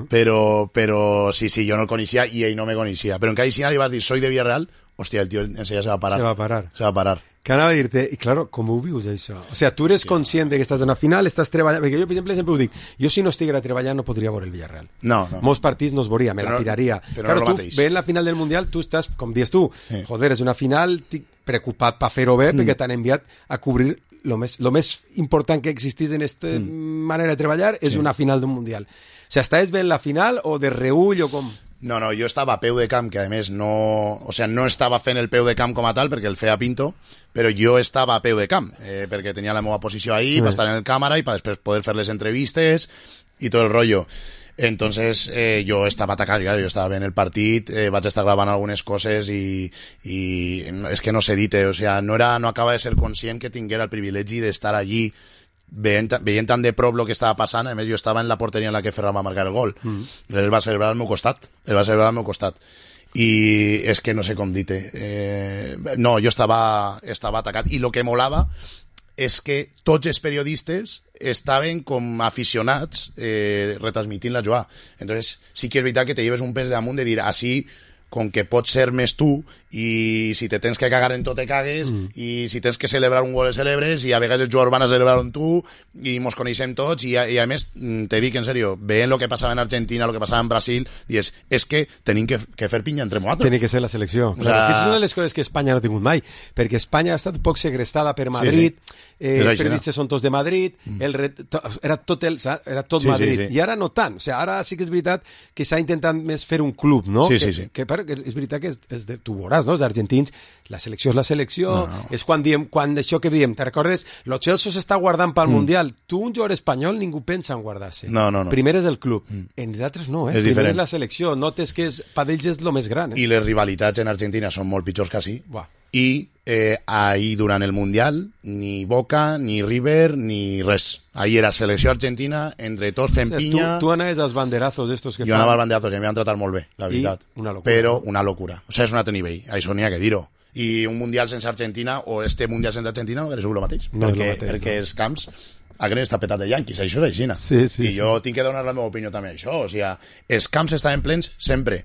[SPEAKER 15] però sí, jo no el coneixia i ell no me coneixia. Però en cada escena li vas dir, soy de Villarreal, hòstia, el tio enseguida se va a parar. Se va a parar.
[SPEAKER 14] Que anava a dir-te, i claro, com ho vius això? O sea, tu eres conscient de que estàs en la final, estàs treballant... Perquè jo, per exemple, sempre ho dic, jo si no estiguera treballant no podria veure el Villarreal.
[SPEAKER 15] No.
[SPEAKER 14] Molts partits no es veuria, me la tiraria.
[SPEAKER 15] Però
[SPEAKER 14] claro, tu ve en la final del Mundial, tu estàs, com dius tu, joder, és una final, estic preocupat per fer-ho bé, perquè t'han enviat a cobrir lo més important que existís en aquesta manera de treballar, és una final d'un Mundial. O sea, estaves bé en la final o de reull o com...
[SPEAKER 15] No, jo estava a peu de camp, que a més no estava fent el peu de camp com a tal, perquè el feia Pinto, però jo estava a peu de camp, perquè tenia la meva posició ahí, per estar en el càmera i per després poder fer les entrevistes i tot el rotllo. Entonces jo estava atacat, jo estava veient el partit, vaig estar gravant algunes coses i és que no sé dir-te, o sea, no acaba de ser conscient que tinguera el privilegi d'estar allí veient tan de prop el que estava passant. A més, jo estava en la porteria en la que Ferran va marcar el gol. Ell va celebrar al meu costat. I és que no sé com dir-te. No, jo estava atacat. I el que molava és que tots els periodistes estaven com aficionats retransmitint la jugada. Entonces, sí que és veritat que te lleves un pes damunt de dir, així, com que pots ser més tu, i si te tens que cagar en tot te cagues, i si tens que celebrar un gol el celebres, i a vegades els jugadors van a celebrar amb tu, i mos coneixem tots, i a més, te dic en sèrio, veient el que passava en Argentina, el que passava en Brasil, dius, és que tenim que fer pinya entre nosaltres.
[SPEAKER 14] Tenim que ser la selecció. O sea, és una de les coses que Espanya no ha tingut mai, perquè Espanya ha estat poc segrestada per Madrid, periodistes són tots de Madrid, era tot Madrid, i ara no tant. O sea, ara sí que és veritat que s'ha intentat més fer un club, no?
[SPEAKER 15] Sí.
[SPEAKER 14] Que és veritat que tu veuràs, no? Els argentins, la selecció és la selecció, és quan això que diem, te recordes? Lo Chelsea s'està guardant pel Mundial. Tu, un jugador espanyol, ningú pensa en guardar-se.
[SPEAKER 15] No.
[SPEAKER 14] Primer és el club. En els altres no,
[SPEAKER 15] és
[SPEAKER 14] primer
[SPEAKER 15] diferent.
[SPEAKER 14] és la selecció. Notes que per ells és el més gran.
[SPEAKER 15] I les rivalitats en Argentina són molt pitjors que així. I ahir durant el Mundial ni Boca, ni River, ni res. Ahir era selecció argentina, entre tots fent pinya...
[SPEAKER 14] Tu anaves als banderazos estos que
[SPEAKER 15] fan... Jo anava als banderazos i em van tratar molt bé, la veritat.
[SPEAKER 14] Una locura.
[SPEAKER 15] Però una locura. O sigui, és un altre nivell. Això n'hi ha que dir-ho. I un Mundial sense Argentina, o este Mundial sense Argentina, no hauria sigut el mateix. Perquè els camps aquest està petat de yanquis, això és així. I jo tinc que donar la meva opinió també a això. O sigui, els camps estaven plens sempre.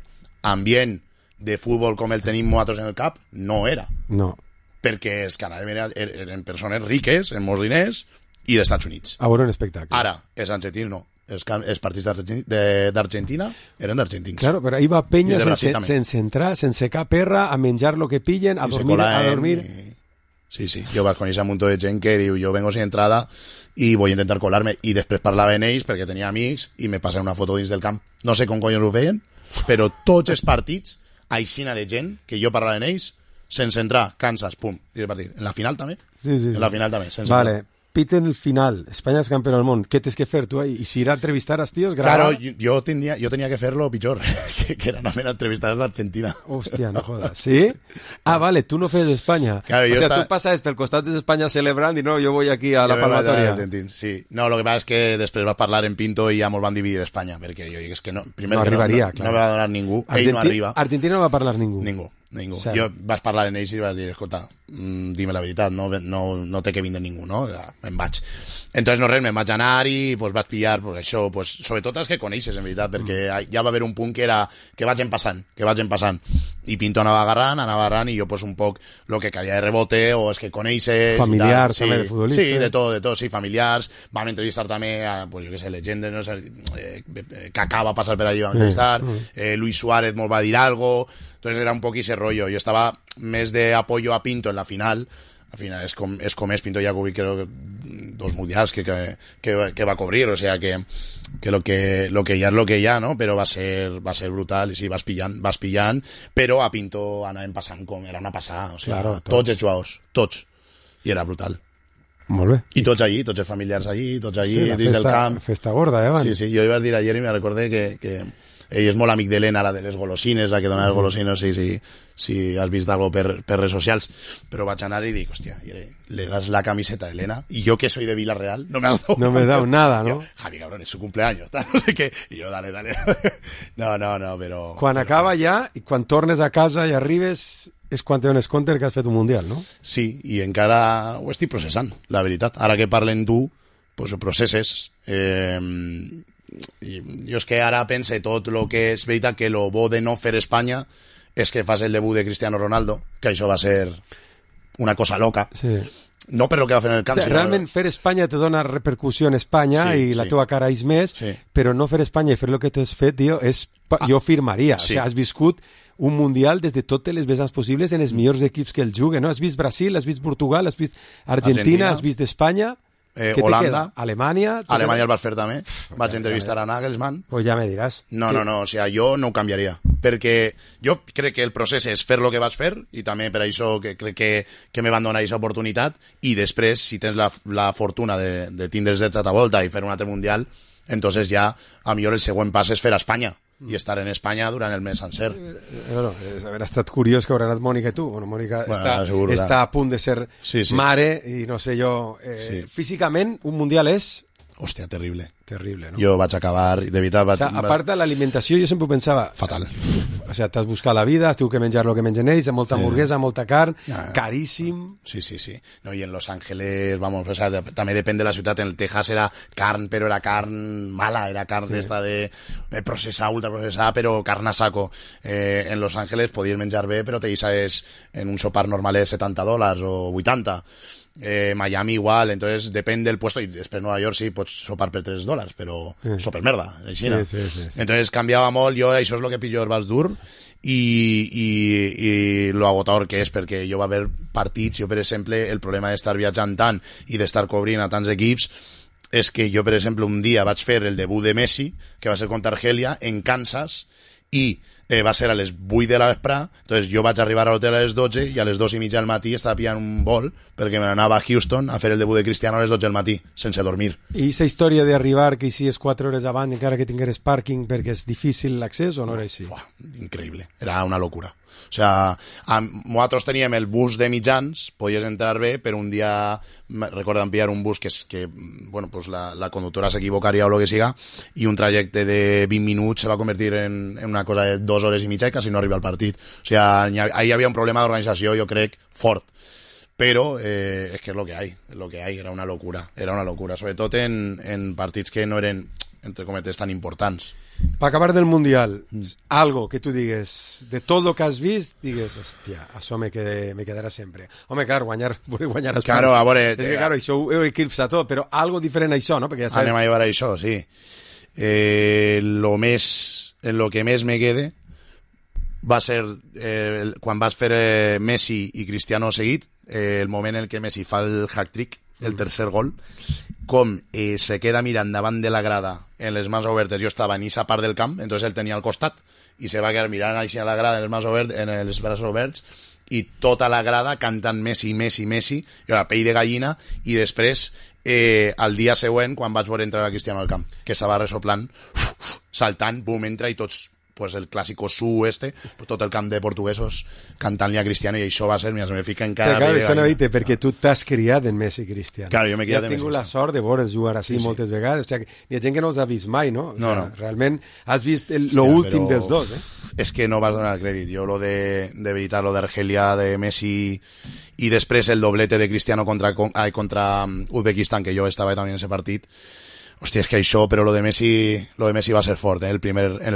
[SPEAKER 15] Ambient de futbol com el tenim nosaltres en el cap, no era.
[SPEAKER 14] No.
[SPEAKER 15] Perquè els canadians eren persones riques, amb molts diners, i dels Estats Units.
[SPEAKER 14] A veure un espectacle.
[SPEAKER 15] Ara, els argentins no. Els partits d'Argentina eren d'argentins.
[SPEAKER 14] Claro, però ahir va penya sense entrar, sense cap perra, a menjar lo que pillen, a dormir...
[SPEAKER 15] Sí, jo vaig conèixer un munt de gent que diu, jo vengo sin entrada i voy a intentar colarme, i després parlava amb ells perquè tenia amics i me passaven una foto dins del camp. No sé com collons ho feien, però tots els partits, aixina de gent que jo parlava amb ells, sense entrar, Kansas, pum, i el partit. En la final també?
[SPEAKER 14] Sí.
[SPEAKER 15] En la final també, sense
[SPEAKER 14] entrar. Piten el final, Espanya és campió del món, què tens que fer tu ahí? I si ir a entrevistar als tios, gravar...
[SPEAKER 15] Claro, yo tenía que fer-lo pitjor, que era només entrevistar als d'Argentina.
[SPEAKER 14] Hòstia, no jodas. ¿Sí? Ah, vale, tu no fes d'Espanya.
[SPEAKER 15] Claro,
[SPEAKER 14] o sea, tu passes pel costat d'Espanya celebrant i no, jo voy aquí a la palmatoria.
[SPEAKER 15] Sí. No, lo que passa és que després vas parlar en Pinto i ja mos van dividir Espanya, perquè jo dic, és que no, primer
[SPEAKER 14] no arribaria,
[SPEAKER 15] no me va donar ningú, ell no arriba.
[SPEAKER 14] Argentina no va parlar ningú.
[SPEAKER 15] Ningú. Jo vas parlar en ells i vas dir, escolta, dime la veritat, no té que vindre ningú, no? Ja, me'n vaig. Entonces, no res, me'n vaig anar i pues, vaig pillar pues, això, pues, sobretot els que coneixes, en veritat, perquè ja va haver un punt que vagin passant. I Pinto anava agarrant, i jo pues, un poc lo que caia de rebote, o els que coneixes...
[SPEAKER 14] Familiars, també, de futbolistes.
[SPEAKER 15] Sí, de tot, sí, familiars. Vam entrevistar també a, pues, jo què sé, legendes, no sé, Kaká va passar per allí, vam entrevistar, Luis Suárez mos va dir algo... Entonces era un poc ese rollo. Yo estaba més de apoyo a Pinto en la final. Al final es com és Pinto ya cubrí creo que 2 mundials que va a cubrir, o sea que lo que ya es lo que ya, ¿no? Pero va a ser brutal, y sí, vas pillant, però a Pinto anàvem passant com era una passada, o sea, claro, tots els jugadors, tots, i era brutal.
[SPEAKER 14] Molt bé.
[SPEAKER 15] I tots allí, tots els familiars allí, tots allí, sí, dins del camp.
[SPEAKER 14] Festa gorda, Van?
[SPEAKER 15] Sí, jo iba a dir ayer i me recordé que ell és molt amic d'Helena, la de les golosines, la que dona les golosines, si has vist algo per redes socials, però vaig anar i dic, hòstia, le das la camiseta a Helena, y yo que soy de Villarreal, no me has dado
[SPEAKER 14] no me he dado nada, ¿no?
[SPEAKER 15] Yo, Javi, cabrón, es su cumpleaños, tal, no sé què, i jo, dale, no, però...
[SPEAKER 14] Quan acaba ja, i quan tornes a casa i arribes, és quan te dones compte que has fet un Mundial, no?
[SPEAKER 15] Sí, i encara ho estic processant, la veritat. Ara que parlen tu, pues ho processes. Jo és que ara pense tot el que és veritat que lo bo de no fer Espanya és que fas el debut de Cristiano Ronaldo, que això va ser una cosa loca.
[SPEAKER 14] Sí.
[SPEAKER 15] No per lo que va fer en el camp,
[SPEAKER 14] sinó... Realment fer Espanya te dona repercussió en Espanya i la teva cara és més, però no fer Espanya i fer el que t'has fet, tio, jo firmaria. O sigui, has viscut un Mundial des de totes les vessants possibles en els millors equips que el juguen, no? Has vist Brasil, has vist Portugal, has vist Argentina, has vist Espanya...
[SPEAKER 15] Holanda,
[SPEAKER 14] Alemanya
[SPEAKER 15] el vas fer també. Vaig entrevistar a Nagelsmann.
[SPEAKER 14] Pues ja me diràs.
[SPEAKER 15] No, o sea, jo no ho canviaria, perquè jo crec que el procés és fer el que vaig fer, i també per això que crec que me van donar aquesta oportunitat, i després, si tens la fortuna de tindre's de tota volta i fer un altre Mundial, entonces ja, a millor el següent pas és fer a Espanya, i estar en Espanya durant el mes sencer.
[SPEAKER 14] Bueno, haver estat curiós que haurà anat Mònica i tu. Bueno, Mònica està a punt de ser mare i no sé jo... Físicament, un Mundial és...
[SPEAKER 15] Hòstia, terrible.
[SPEAKER 14] Terrible, no?
[SPEAKER 15] Jo vaig acabar, de veritat...
[SPEAKER 14] A part de l'alimentació, jo sempre ho pensava...
[SPEAKER 15] Fatal.
[SPEAKER 14] O sigui, t'has buscat la vida, has tingut que menjar el que mengen ells, molta hamburguesa, molta carn, caríssim...
[SPEAKER 15] Sí. No, i en Los Ángeles, vamos, o sea, també depèn de la ciutat. En el Texas era carn, però era carn mala, era carn d'esta de processar, ultraprocessar, però carn a saco. En Los Ángeles podies menjar bé, però te deixaves en un sopar normal de $70 o 80. Miami igual, entonces depèn del puesto, i després Nueva York sí, pots sopar per $3, però soper merda, així.
[SPEAKER 14] Sí.
[SPEAKER 15] Entonces canviava molt, jo això és el que pitjor vas dur, i lo agotador que és, perquè jo va haver partits, jo per exemple, el problema d'estar viatjant tant i d'estar cobrint a tants equips és que jo per exemple un dia vaig fer el debut de Messi, que va ser contra Argelia en Kansas, i va ser a les 8 de la vesprà, entonces jo vaig arribar a l'hotel a les 12 i a les 2:30 del matí estava pillant un vol perquè me n'anava a Houston a fer el debut de Cristiano a les 12 del matí, sense dormir.
[SPEAKER 14] I aquesta història d'arribar que hi és 4 hores abans encara que tingueres pàrquing perquè és difícil l'accés o no era així?
[SPEAKER 15] Increïble, era una locura. O sea, nosaltres teníem el bus de mitjans, podies entrar bé, però un dia recordem pillar un bus que bueno, pues la conductora s'equivocaria o el que siga, i un trajecte de 20 minuts se va convertir en una cosa de 2 hores i mitja i quasi no arriba al partit. O sigui, ahí hi havia un problema d'organització, jo crec, fort. Però és que és lo que hay, era una locura, sobretot en partits que no eren, entre cometes, tan importants.
[SPEAKER 14] Per acabar del Mundial, algo que tu digues, de tot el que has vist, digues, hòstia, això me quedarà sempre. Home, clar, guanyar a Espanya.
[SPEAKER 15] Claro, a veure...
[SPEAKER 14] És que, claro, això ho eclipsa tot, però algo diferent a això, no? Perquè ja sabem...
[SPEAKER 15] Anem a llevar això, sí. En lo que més me quede va ser quan vas fer Messi i Cristiano seguit, el moment en què Messi fa el hat-trick, el tercer gol, com se queda mirant davant de la grada en les mans obertes. Jo estava en aquesta part del camp, entonces él tenia al costat i se va quedar mirant així a la grada en els braços oberts, i tota la grada cantant Messi, Messi, Messi, i la pell de gallina. I després al dia següent, quan vaig veure entrar a Cristiano al camp, que estava resoplant, saltant, bum, entra, i tots, pues el clàssico su tot el camp de portuguesos cantant-li a Cristiano, i això va ser, mira, se me fica encara...
[SPEAKER 14] Sí, clar, això no dite, perquè tu t'has criat en Messi i Cristiano.
[SPEAKER 15] Claro, jo m'he criat en
[SPEAKER 14] Messi. Has tingut la sort de veure'ls jugar així moltes vegades, o sigui, hi ha gent que no els ha vist mai, no?
[SPEAKER 15] No.
[SPEAKER 14] Realment has vist l'últim dels dos,
[SPEAKER 15] És que no vas donar el crèdit. Jo de veritat, lo d'Argelia, de Messi, i després el doblete de Cristiano contra Uzbekistan, que jo estava també en ese partit. Hòstia, és que això, però lo de Messi va ser fort, en el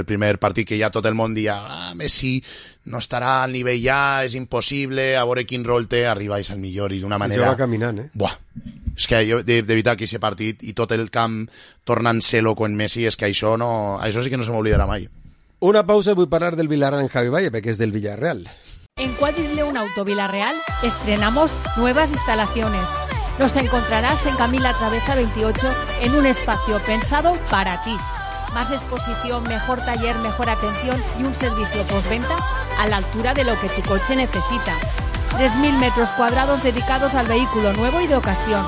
[SPEAKER 15] primer partit, que ja tot el món dia, Messi no estarà al nivell ja, és impossible, a veure quin rol té, arriba i és el millor, i d'una manera...
[SPEAKER 14] I va caminant,
[SPEAKER 15] Buah, és que jo, de veritat, que aquest partit, i tot el camp tornant-se loco en Messi, és que això sí que no se m'oblidarà mai.
[SPEAKER 14] Una pausa, vull parlar del Villarreal en Javi Valle, perquè és del Villarreal.
[SPEAKER 10] En Quadris León Auto Villarreal estrenamos nuevas instalaciones. Nos encontrarás en Camila Travesa 28 en un espacio pensado para ti. Más exposición, mejor taller, mejor atención y un servicio postventa a la altura de lo que tu coche necesita. 3.000 metros cuadrados dedicados al vehículo nuevo y de ocasión.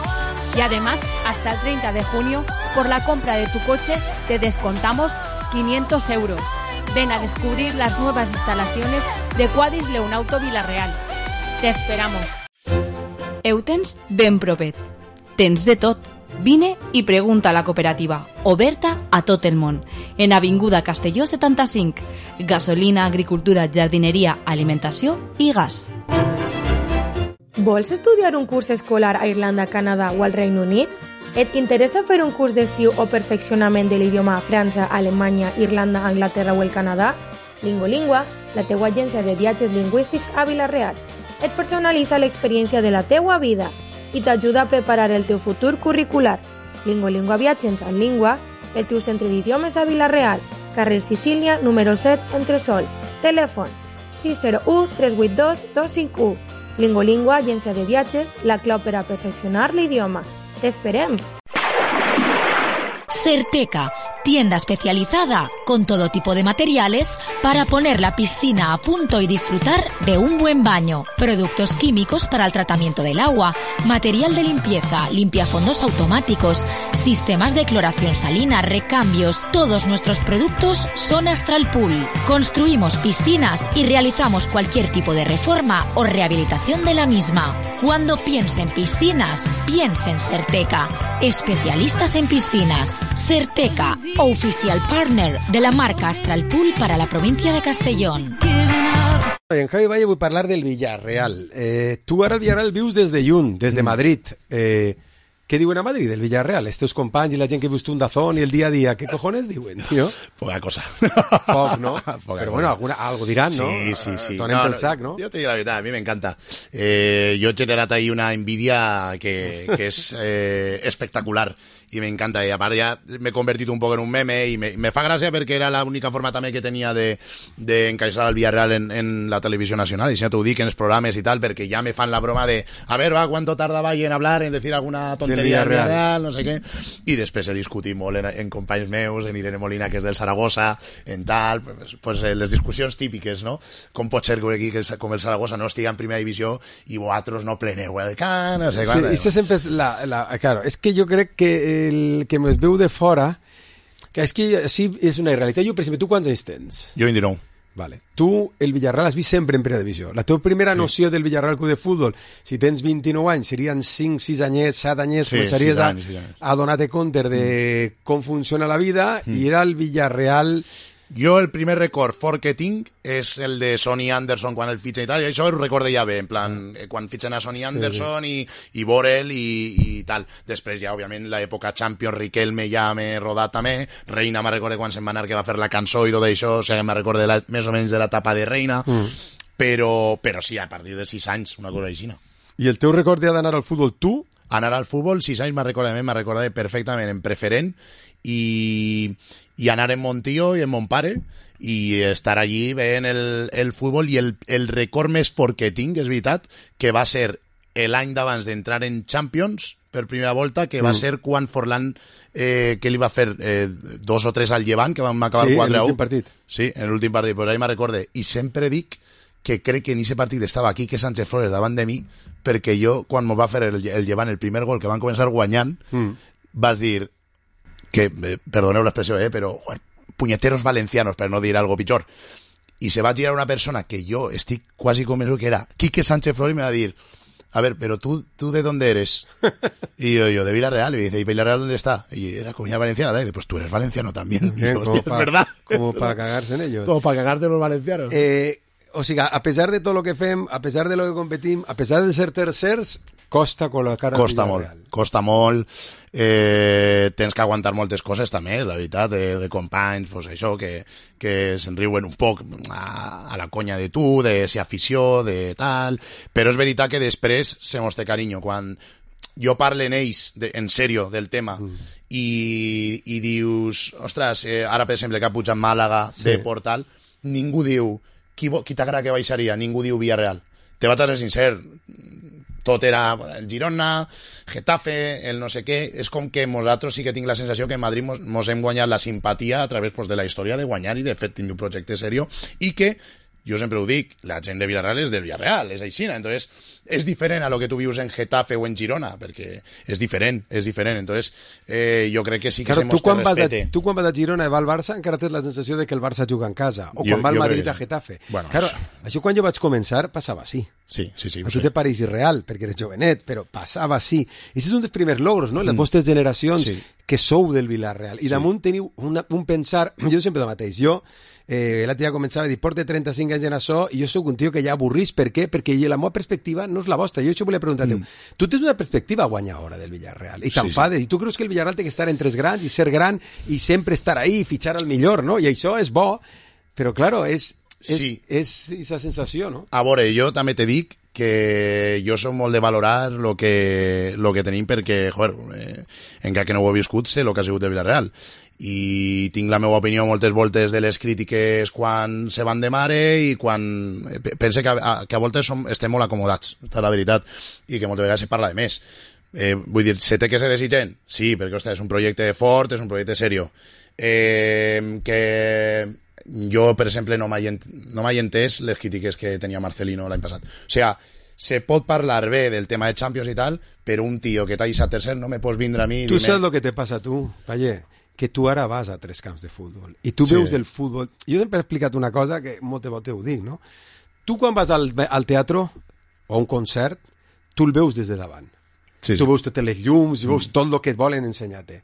[SPEAKER 10] Y además, hasta el 30 de junio, por la compra de tu coche te descontamos 500 euros. Ven a descubrir las nuevas instalaciones de Quadis Leonauto Villarreal. Te esperamos.
[SPEAKER 16] Eutens ben propet. Tens de tot. Vine i pregunta a la cooperativa, oberta a tot el món. En Avinguda Castelló 75. Gasolina, agricultura, jardineria, alimentació i gas.
[SPEAKER 17] Vols estudiar un curs escolar a Irlanda, Canadà o al Regne Unit? Et interessa fer un curs d'estiu o perfeccionament de l'idioma a França, Alemanya, Irlanda, Anglaterra o el Canadà? Lingolingua, la teua agència de viatges lingüístics a Vila-real. Et personalitza l'experiència de la teua vida i t'ajuda a preparar el teu futur curricular. Lingolingua Viatges en Lingua, el teu centre d'idiomes a Vila-real, carrer Sicília, número 7, Entresol. Telèfon 601 382 251. Lingolingua, agència de viatges, la clau per a perfeccionar l'idioma. ¡T'esperem!
[SPEAKER 1] Certeca, tienda especializada con todo tipo de materiales para poner la piscina a punto y disfrutar de un buen baño. Productos químicos para el tratamiento del agua, material de limpieza, limpiafondos automáticos, sistemas de cloración salina, recambios. Todos nuestros productos son Astral Pool. Construimos piscinas y realizamos cualquier tipo de reforma o rehabilitación de la misma. Cuando piense en piscinas, piense en Certeca. Especialistas en piscinas. Certeca, oficial partner de la marca Astral Pool para la provincia de Castellón.
[SPEAKER 14] En Javi Valle vull parlar del Villarreal. Tu ara al Villarreal vius des de lluny, des de Madrid. Què diuen a Madrid, del Villarreal? Estos companys i la gent que vius tu un dazón i el dia a dia, ¿qué cojones diuen, tío?
[SPEAKER 15] Poca cosa.
[SPEAKER 14] Poc, ¿no?
[SPEAKER 15] Poca
[SPEAKER 14] Pero bueno, algo dirán, ¿no?
[SPEAKER 15] Sí.
[SPEAKER 14] Donem pel sac, ¿no?
[SPEAKER 15] Yo te digo la verdad, a mí me encanta. Yo he generado ahí una envidia que es espectacular. I m'encanta, i a part ja m'he convertit un poc en un meme i me fa gràcia perquè era l'única forma també que tenia d'encaixar el Villarreal en la televisió nacional, i si no t'ho dic en els programes i tal, perquè ja me fan la broma de a ver, va, ¿cuánto tardaba en hablar, en decir alguna tontería del Villarreal, no sé què, i després he discutit molt en companys meus, en Irene Molina, que és del Saragossa, en tal, pues les discussions típiques, no? Com pot ser que un equip com el Saragossa no estigui en primera divisió i vosaltres no pleneu el camp, no sé
[SPEAKER 14] quan. Sí, això sempre és claro, és que jo crec que el que es veu de fora, que és que sí és una realitat. Jo, per exemple, tu quants anys tens?
[SPEAKER 15] Jo 29.
[SPEAKER 14] Vale. Tu, el Villarreal, has vist sempre en primera divisió. La teva primera noció del Villarreal Club de Futbol, si tens 29 anys, serien 5, 6 anyets, 7 anyets, començaries a donar-te compte de com funciona la vida, i era el Villarreal...
[SPEAKER 15] Jo el primer record fort que tinc és el de Sonny Anderson quan el fitxa i tal, i això ho recordo ja bé, en plan, quan fitxen a Sonny Anderson i Borel i tal. Després ja, òbviament, l'època Champions, Riquelme ja m'he rodat també, Reina me recorda quan se'n va anar que va fer la cançó i tot això, o sigui, me recorda més o menys de l'etapa de Reina, però sí, a partir de 6 anys, una cosa així.
[SPEAKER 14] I el teu record d'anar al futbol, tu?
[SPEAKER 15] Anar al futbol, 6 anys me recorda perfectament en preferent, i anar en Montío i en Montpare i estar allí veient el futbol, i el record més fort que tinc, és veritat, que va ser l'any d'abans d'entrar en Champions per primera volta, que va ser quan Forlán que li va fer 2 o 3 al Llevant, que vam acabar 4-1.
[SPEAKER 14] En l'últim partit.
[SPEAKER 15] Sí, en l'últim partit, pues ahí me recorde. I sempre dic que crec que en aquest partit estava Quique Sánchez Flores davant de mi, perquè jo, quan m'ho va fer el Llevant, el primer gol que van començar guanyant, vas dir que, perdoneu l'expressió, però puñeteros valencianos, per no dir algo pitjor. I se va girar una persona que jo estic quasi convençut que era Quique Sánchez Flores, y me va a dir, a ver, pero tú ¿de dónde eres? Y yo de Villarreal. Y me dice, ¿y Villarreal dónde está? Y era Comunidad Valenciana. Y dice, pues tú eres valenciano también. Y digo, hostia, es verdad.
[SPEAKER 14] Como para cagarse en ellos.
[SPEAKER 15] Como para cagarte los valencianos.
[SPEAKER 14] O sigui, a pesar de tot el que fem, a pesar de lo que competim, a pesar de ser tercers, costa col·locar al Villarreal.
[SPEAKER 15] Costa molt. Tens que aguantar moltes coses també, la veritat, de companys, pues això, que se'n riuen un poc a la conya de tu, de ser afició, de tal, però és veritat que després se mos té carinyo. Quan jo parlo en ells, en sèrio, del tema, i dius, ostres, ara per exemple que ha pujat Màlaga de Portal, ningú diu qui t'agrada que baixaria, ningú diu Villarreal. Te vaig a ser sincer, tot era el Girona, Getafe, el no sé què. És com que nosaltres sí que tinc la sensació que en Madrid mos hem guanyat la simpatia a través de la història de guanyar i de fet tenir un projecte seriós, i que jo sempre ho dic, la gent de Villarreal és del Villarreal, és aixina, entonces és diferent a lo que tu vius en Getafe o en Girona, perquè és diferent, entonces jo crec que sí que se mostra respecte.
[SPEAKER 14] Tu quan vas a Girona i va al Barça encara tens la sensació de que el Barça juga en casa, o quan va al Madrid a Getafe.
[SPEAKER 15] Bueno,
[SPEAKER 14] claro, això quan jo vaig començar passava així.
[SPEAKER 15] Sí.
[SPEAKER 14] A tu te pareix irreal, perquè eres jovenet, però passava així. I això és un dels primers logros, no? Les vostres generacions que sou del Villarreal. I damunt teniu un pensar... Jo sempre el mateix. Jo, la tia començava a dir, porte 35 anys en això, i jo sóc un tio que ja avorrís. Per què? Perquè la meva perspectiva no és la vostra. Jo això volia preguntar-te. Tu tens una perspectiva guanyadora del Villarreal, i t'enfades. I tu creus que el Villarreal té que estar entre els grans i ser gran i sempre estar ahí i fitxar al millor, no? I això és bo, però, claro, és aquesta sensació, no?
[SPEAKER 15] A veure, jo també te dic que jo soc molt de valorar lo que tenim perquè, joder, encara que no ho he viscut, sé el que ha sigut de Villarreal. I tinc la meva opinió moltes voltes de les crítiques quan se van de mare i quan... Pense que a voltes estem molt acomodats, és la veritat, i que moltes vegades se parla de més. Vull dir, se té que ser exigent? Sí, perquè, ostres, és un projecte fort, és un projecte serio. Que... Jo, per exemple, no m'he entès les crítiques que tenia Marcelino l'any passat. O sigui, se pot parlar bé del tema de Champions i tal, però un tio que t'ha deixat tercer no me pots vindre a mi...
[SPEAKER 14] Tu saps el que te passa a tu, Paller? Que tu ara vas a 3 camps de futbol i tu veus del futbol... Jo sempre he explicat una cosa que moltes voltes ho dic, no? Tu quan vas al teatre o a un concert, tu el veus des de davant. Tu veus totes les llums i veus tot el que et volen ensenyar-te.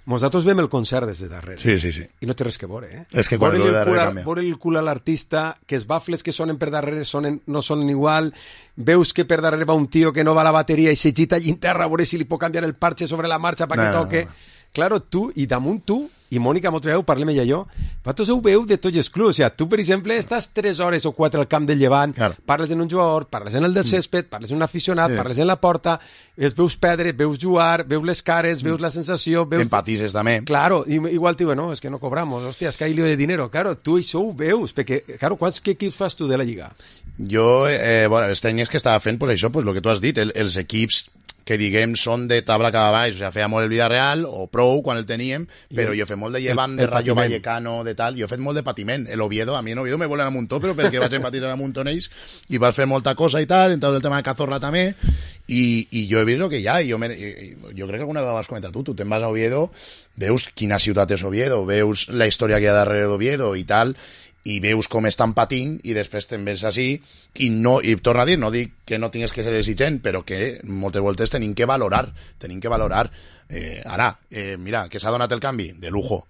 [SPEAKER 14] Nosaltres veiem el concert des de darrere.
[SPEAKER 15] Sí.
[SPEAKER 14] I no té res que veure, eh?
[SPEAKER 15] És que quan el darrere canvia.
[SPEAKER 14] Veure el cul a l'artista, que els bafles que sonen per darrere no sonen igual, veus que per darrere va un tio que no va a la bateria i s'agita allí en terra a veure si li pot canviar el parche sobre la marxa perquè toque. Claro, tu, i damunt tu, i Mònica, molta vegada, parlem ella i jo, vosaltres ho veu de tots els clubs. O sigui, tu, per exemple, estàs 3 hores o 4 al camp del Llevant, parles en un jugador, parles en el del césped, parles en un aficionat, parles en la porta, els veus perdre, veus jugar, veus les cares, veus la sensació...
[SPEAKER 15] Empatises també.
[SPEAKER 14] Claro, igual diu, no, és que no cobramos, hòstia, és que hay lío de dinero. Claro, tu això ho veus, perquè, claro, quants equips fas tu de la Lliga?
[SPEAKER 15] Jo, bueno, els tècnics que estava fent, pues això, pues el que tu has dit, els equips que diguem són de tabla cap a baix, o sigui, feia molt el Villarreal o prou quan el teníem, però jo he fet molt de Llevant, de Rayo Vallecano, de tal, jo he fet molt de patiment. El Oviedo, a mi en Oviedo me volen a Muntó, però perquè vaig empatitzar a Muntó en ells i vas fer molta cosa i tal, entonces el tema de Cazorla també, i jo he vist el que hi ha, i jo crec que alguna vegada vas comentar tu te'n vas a Oviedo, veus quina ciutat és Oviedo, veus la història que hi ha darrere d'Oviedo i tal, i veus com estan patint i després te'n ves així i torna a dir, no dic que no tingues que ser exigent, però que moltes voltes tenim que valorar ara, mira, que s'ha donat el canvi de lujo,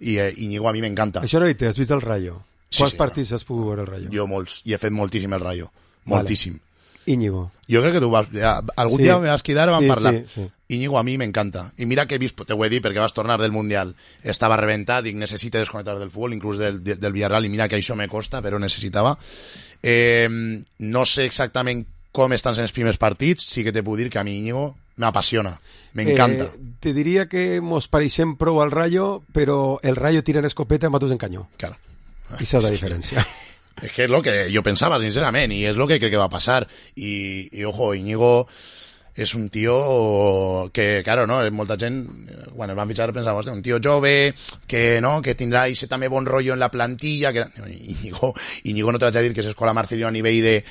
[SPEAKER 15] i Íñigo a mi m'encanta.
[SPEAKER 14] Això no hi has vist el Rayo? Quants partits has pogut veure el Rayo?
[SPEAKER 15] Jo molts, i he fet moltíssim el Rayo, moltíssim.
[SPEAKER 14] Íñigo.
[SPEAKER 15] Jo crec que tu algun dia me vas cridar i vam parlar. Íñigo a mi m'encanta. I mira que he vist, te ho he dit perquè vas tornar del Mundial, estava reventat, dic, necessita desconnectar del futbol, inclús del Villarreal, i mira que això me costa, però necessitava. No sé exactament com estan sent els primers partits, sí que te puc dir que a mi Íñigo m'apassiona, m'encanta.
[SPEAKER 14] Te diria que mos pareixem prou al Rayo, però el Rayo tira en escopeta i matos en canyó.
[SPEAKER 15] Claro.
[SPEAKER 14] I s'ha de diferència.
[SPEAKER 15] Es que es lo que yo pensaba, sinceramente, y es lo que creo que va a pasar. Y ojo, Íñigo es un tío que, claro, no, molta gent, quan el van fitxar pensava, un tío jove, que no, que tindrà ese també bon rollo en la plantilla, que Íñigo no te vaig a dir que s'escola Marcelino a nivell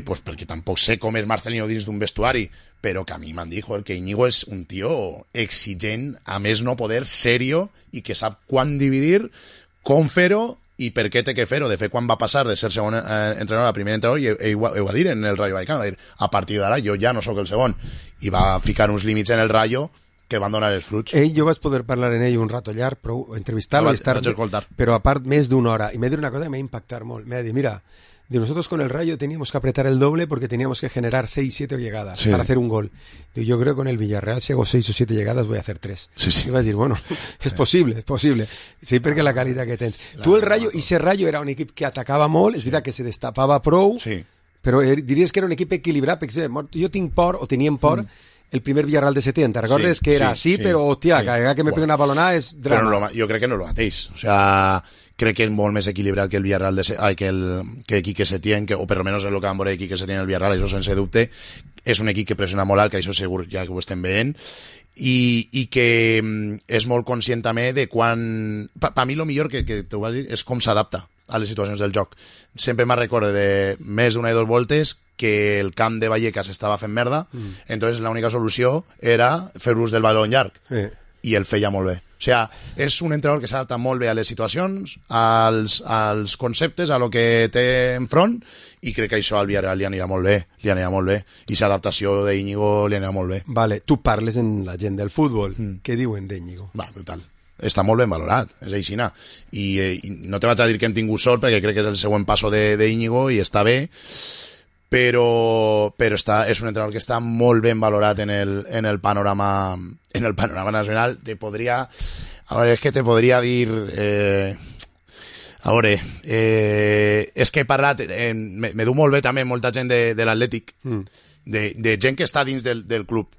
[SPEAKER 15] pues perquè tampoc sé com és Marcelino dins d'un vestuari, però que a mi m'han dit, joder, que Íñigo és un tío exigent, a més no poder, serio, i que sap quan dividir, com fer-ho, i per què té que fer-ho. De fet, quan va passar de ser segon entrenador a primer entrenador, ell ho va dir en el Rayo Vallecano, va dir, a partir d'ara jo ja no sóc el segon, i va ficar uns límits en el Rayo que van donar els fruits.
[SPEAKER 14] Jo vaig poder parlar en ell un rato llarg, però entrevistar-lo i estar... Però a part més d'una hora, i m'ha dit una cosa que m'ha impactat molt, m'ha dit, mira, nosotros con el Rayo teníamos que apretar el doble porque teníamos que generar 6, 7 llegadas para hacer un gol. Yo creo que con el Villarreal, si hago 6 o 7 llegadas, voy a hacer 3. Y vas a decir, bueno, es posible. Sí, perquè la qualitat que tens. Tu el Rayo, i ese Rayo era un equip que atacava molt, és veritat que se destapava prou, però diries que era un equip equilibrat, perquè jo tinc por, o teníem por, el primer Villarreal de Setién, ¿te recordes? Que era así, pero, hostia, cada que me pegue una balonada és drama.
[SPEAKER 15] Jo crec que no és el mateix. O sea, crec que és molt més equilibrat que el Villarreal que Quique Setién, o per almenys és el que vam veure Quique Setién el Villarreal, això sense dubte. És un equip que pressiona molt alt, que això segur ja que ho estem veient, i que és molt conscient també de quan... Per mi el millor que t'ho vas dir és com s'adapta a les situacions del joc. Sempre me'n recordo de més d'una i dos voltes que el camp de Vallecas estava fent merda, entonces l'única solució era fer ús del baló llarg, i el feia molt bé. O sigui, és un entrenador que s'adapta molt bé a les situacions, als conceptes, a lo que té enfront, i crec que això al Villarreal li anirà molt bé, i l'adaptació d'Íñigo li anirà molt bé.
[SPEAKER 14] Vale, tu parles en la gent del futbol, què diuen d'Íñigo?
[SPEAKER 15] Va, brutal. Està molt ben valorat, és aixina. I no te vaig a dir que hem tingut sort, perquè crec que és el següent passo d'Íñigo i està bé, però és un entrenador que està molt ben valorat en el panorama nacional. Te podria dir és que he parlat me du molt bé també molta gent de l'Atlètic, de gent que està dins del club,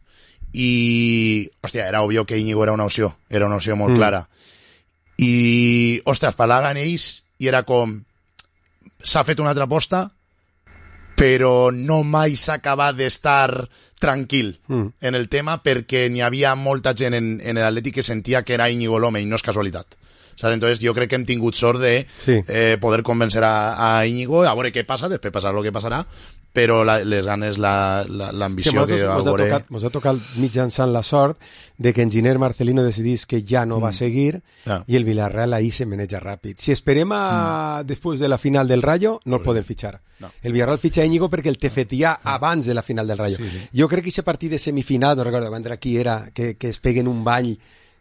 [SPEAKER 15] i hòstia, era obvio que Íñigo era una opció molt clara, i hòstia, parlaven ells i era com s'ha fet una altra aposta, però no mai s'ha acabat d'estar tranquil en el tema, perquè n'hi havia molta gent en l'Atlètic que sentia que era Íñigo l'home, i no és casualitat. ¿Sabes? Entonces yo creo que hem tingut sort de poder convencer a Íñigo, a veure què passa, després passarà el que passarà, però les ganes, l'ambició que veure...
[SPEAKER 14] Ens ha tocat mitjançant la sort de que Enginyer Marcelino decidís que ja no va seguir i el Villarreal ahí se maneja ràpid. Si esperem després de la final del Rayo, no el poden fitxar. El Villarreal fitxa Íñigo perquè el tefetia abans de la final del Rayo. Jo crec que aquest partit de semifinal, no recordo qui era, que es peguen un ball...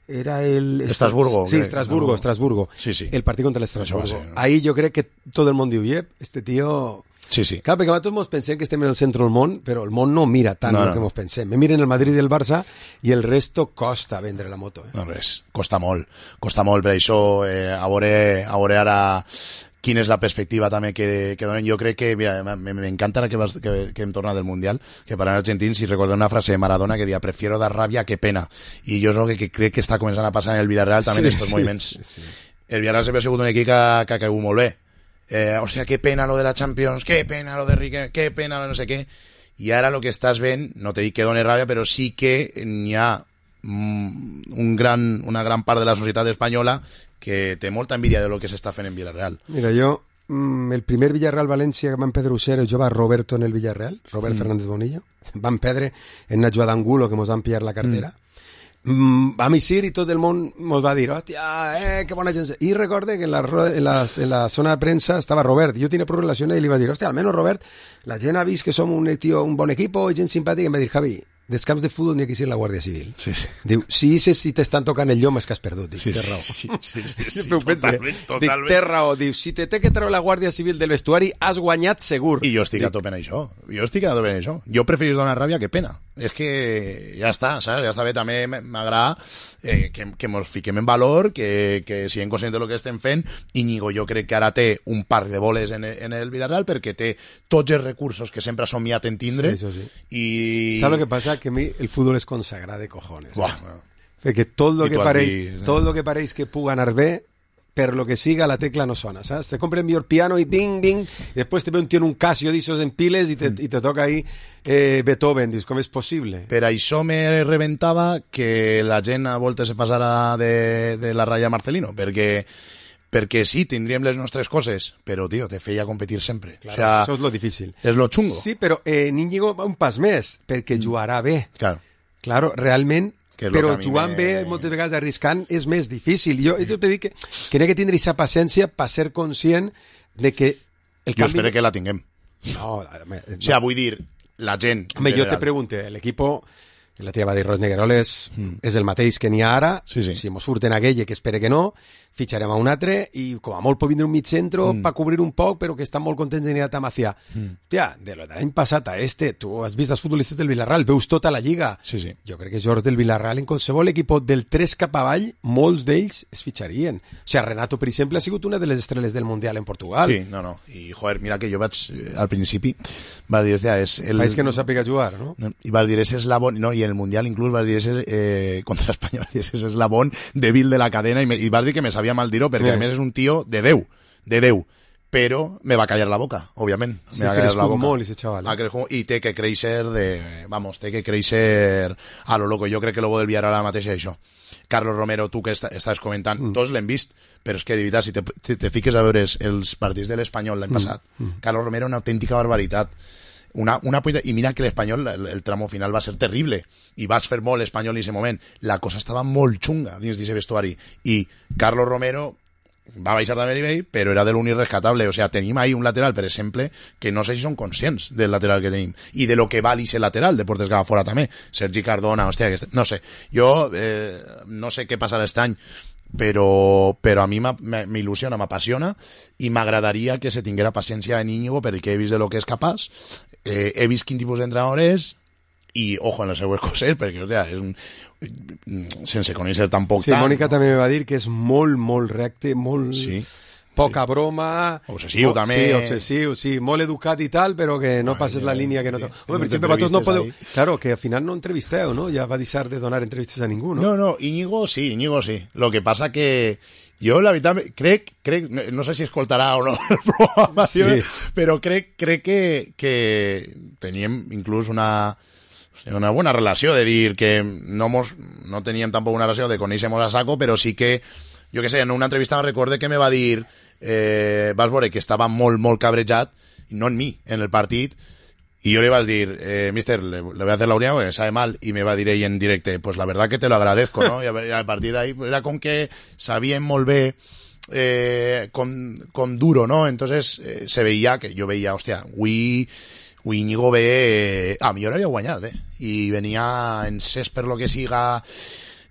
[SPEAKER 14] Era el...
[SPEAKER 15] Estrasburgo.
[SPEAKER 14] Sí, Estrasburgo.
[SPEAKER 15] Sí.
[SPEAKER 14] El partido contra el Estrasburgo. Ahí yo crec que todo el món diu, este tío...
[SPEAKER 15] Sí.
[SPEAKER 14] Clar, perquè nosaltres ens pensem que estem en el centre del món, però el món no mira tant el que ens pensem. Me miren el Madrid i el Barça i el resto costa vendre la moto.
[SPEAKER 15] No, res, costa molt, per això a veure ara quina és la perspectiva també que donen. Jo crec que, mira, m'encanta ara que hem tornat del Mundial, que parlant argentins, si recordem una frase de Maradona que deia prefiero dar rabia que pena, i jo és el que crec que està començant a passar en el Villarreal també en estos moviments. El Villarreal sempre ha sigut un equip que ha caigut molt bé. O sea, qué pena lo de la Champions, qué pena lo de Riquelme, qué pena lo de no sé qué. Y ahora lo que estás ven, no te dic que done ràbia, però sí que n'hi ha una gran part de la societat espanyola que té molta envidia de lo que s'està fent en Villarreal.
[SPEAKER 14] Mira, jo, el primer Villarreal-València que van perdre Usera, jo va Roberto en el Villarreal, Robert Fernández Bonillo, van perdre en una jugada d'angulo que mos van pillar la cartera. Vam eixir i tot el món mos va dir, hòstia, que bona gent. I recorde que en la zona de premsa estava Robert, jo tenia prou relació i li va dir, hòstia, almenys Robert, la gent ha vist que som un bon equip i gent simpàtica, i em va dir, Javi, dels camps de futbol n'hi ha que ser la Guàrdia Civil. Diu, si t'estan tocant el llom és que has perdut. Dic, té raó.
[SPEAKER 15] Totalment.
[SPEAKER 14] Dic, té raó. Diu, si te té que treure la Guàrdia Civil del vestuari, has guanyat segur.
[SPEAKER 15] I jo estic a tope en això. Jo preferís donar ràbia que pena. És que ja està, saps? Ja està bé. També m'agrada que mos fiquem en valor, que siguem conscients del que estem fent. Íñigo jo crec que ara té un parc de boles en el Villarreal perquè té tots els recursos que sempre ha somiat en tindre.
[SPEAKER 14] Sí.
[SPEAKER 15] I...
[SPEAKER 14] ¿Sabes lo que pasa? Que a mí el fútbol es consagrado de cojones. Porque todo lo que pareix que puga anar bé, per lo que siga la tecla no sona, ¿sabes? Te compra el millor piano y ding, ding, y después te ve un tío en un Casio d'esos en piles y te toca ahí Beethoven, dius, com és possible?
[SPEAKER 15] Per això me reventava que la gent a voltes se passara de la ratlla Marcelino, perquè sí, tindríem les nostres coses, però, tio, te feia competir sempre.
[SPEAKER 14] Claro, o sea, això és lo difícil.
[SPEAKER 15] És lo xungo.
[SPEAKER 14] Sí, però Íñigo va un pas més, perquè jugarà bé.
[SPEAKER 15] Claro,
[SPEAKER 14] realment, però jugant bé, moltes vegades arriscant, és més difícil. Jo t'he dit que n'hi ha que tindre aquesta paciència per ser conscient de que el canvi...
[SPEAKER 15] Jo espero que la tinguem.
[SPEAKER 14] No.
[SPEAKER 15] O sea, vull dir, la gent...
[SPEAKER 14] Home, jo te pregunte, l'equip... La tia va dir, Ros Negueroles és el mateix que n'hi ha ara, si mos surten aquella, que espere que no, fitxarem a un altre i com a molt pot vindre un mig centro per cobrir un poc, però que estan molt contents de a Macià. Tia, de l'any passat a tu has vist els futbolistes del Villarreal, veus tota la lliga. Jo crec que Jordi del Villarreal, en qualsevol equip del 3 cap avall, molts d'ells es fitxarien. O sigui, Renato, per exemple, ha sigut una de les estrelles del Mundial en Portugal.
[SPEAKER 15] Sí, no. I, joder, mira que jo vaig, al principi, vas dir, és el...
[SPEAKER 14] País que no sàpiga jugar, no?
[SPEAKER 15] I vas dir, ese eslabón, no, i en el Mundial inclús vas dir, ese contra Espanya, ese eslabón débil de la cadena, i vas dir que me sabia mal dir-ho, perquè a més és un tio de Déu, però me va callar la boca, òbviament.
[SPEAKER 14] Sí,
[SPEAKER 15] me va callar la boca.
[SPEAKER 14] molt, ese chaval.
[SPEAKER 15] I té que créixer té que créixer a lo loco. Jo crec que lo bo del Villarreal ara mateix és això. Carlos Romero, tu que estàs comentant, tots l'hem vist, però és que de veritat, si te fiques a veure els partits de l'Espanyol l'any passat, Carlos Romero una autèntica barbaritat. I mira que l'Espanyol, el tramo final va ser terrible, i vas fer molt l'Espanyol en aquest moment. La cosa estava molt xunga dins d'aquest vestuari, i Carlos Romero va baixar també a nivell, però era de l'únic rescatable. O sea, tenim ahí un lateral, per exemple, que no sé si són conscients del lateral que tenim i de lo que val ese lateral, de portes cap a fora també. Sergi Cardona, hòstia, no sé. Jo no sé què passarà aquest any, però a mi m'il·lusiona, m'apassiona, i m'agradaria que se tinguera paciència en Íñigo, perquè he vist de lo que és capaç, he vist quin tipus d'entrenador és, i ojo en les seues coses, perquè hòstia, és un sense conèixer tampoc tant.
[SPEAKER 14] Sí, Mònica també me va dir que és molt recte, molt... Sí. Poca broma...
[SPEAKER 15] Obsessiu, també.
[SPEAKER 14] Sí, obsessiu, sí. Molt educat i tal, però que no passes la línia que no... Home, per exemple, vosaltres no podeu... Claro, que al final no entrevisteu, no? Ja va deixar de donar entrevistes a ningú, no?
[SPEAKER 15] No, Íñigo sí. Lo que passa que jo, la veritat, crec, no sé si escoltarà o no el programa, sí. Però crec que teníem inclús una buena relació, de dir que no teníem tampoc una relació de conèixer-nos a saco, però sí que, jo què sé, en una entrevista me recorde que me va dir, vas veure que estava molt cabrejat, no en mi, en el partit, y yo le vas a decir, mister, le voy a hacer la unidad porque me sabe mal, y me va a decir ahí en directo, pues la verdad que te lo agradezco, ¿no? Y a partir de ahí, pues era con que sabían molt bé con duro, ¿no? Entonces se veía que yo veía, hostia, Íñigo ve... a millor havia guanyat, i venia en ses per lo que siga,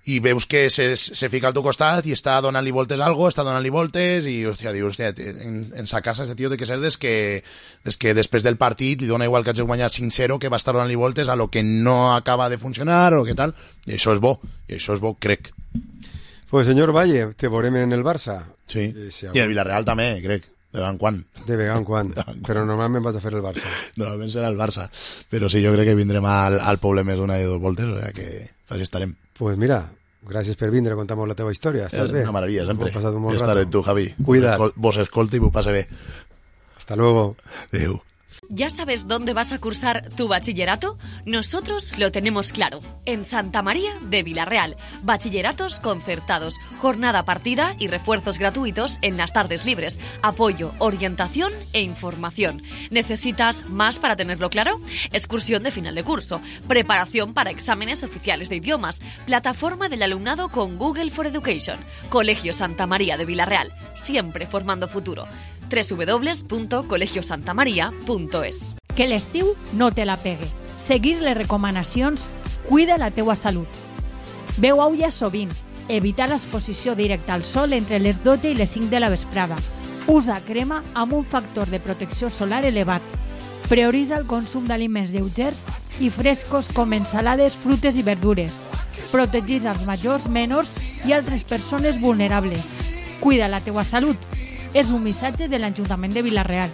[SPEAKER 15] i veus que se fica al teu costat i està donant-li voltes i hòstia, dius, en sa casa este tio té que ser des que després del partit li dona igual que hagi guanyat 5-0 que va estar donant-li voltes a lo que no acaba de funcionar o què tal, i això és bo, crec.
[SPEAKER 14] Pues senyor Valle, te veurem en el Barça.
[SPEAKER 15] Sí, i el Villarreal també, crec. De vegant en quan. Però normalment vas a fer el Barça. Normalment serà el Barça. Però sí, jo crec que vindrem al poble més una i dos voltes, o sigui que així estarem.
[SPEAKER 14] Pues mira, gràcies per vindre a contar-nos la teva història. Estàs bé?
[SPEAKER 15] Una meravella, sempre.
[SPEAKER 14] He passat un bon
[SPEAKER 15] rato. Estaré tu, Javi.
[SPEAKER 14] Cuida't.
[SPEAKER 15] Vos escolta y vos pase bé.
[SPEAKER 14] Hasta luego.
[SPEAKER 15] Adeu.
[SPEAKER 16] ¿Ya sabes dónde vas a cursar tu bachillerato? Nosotros lo tenemos claro. En Santa María de Villarreal. Bachilleratos concertados, jornada partida y refuerzos gratuitos en las tardes libres. Apoyo, orientación e información. ¿Necesitas más para tenerlo claro? Excursión de final de curso. Preparación para exámenes oficiales de idiomas. Plataforma del alumnado con Google for Education. Colegio Santa María de Villarreal. Siempre formando futuro. www.colegiosantamaria.es.
[SPEAKER 10] Que l'estiu no te la pegue. Seguís les recomanacions, cuida la teua salut. Beu aigua sovint. Evita l'exposició directa al sol entre les 12 i les 5 de la vesprada. Usa crema amb un factor de protecció solar elevat. Prioritza el consum d'aliments lleugers i frescos com ensalades, frutes i verdures. Protegeix els majors, menors i altres persones vulnerables. Cuida la teua salut. És un missatge de l'Ajuntament de Vila-real.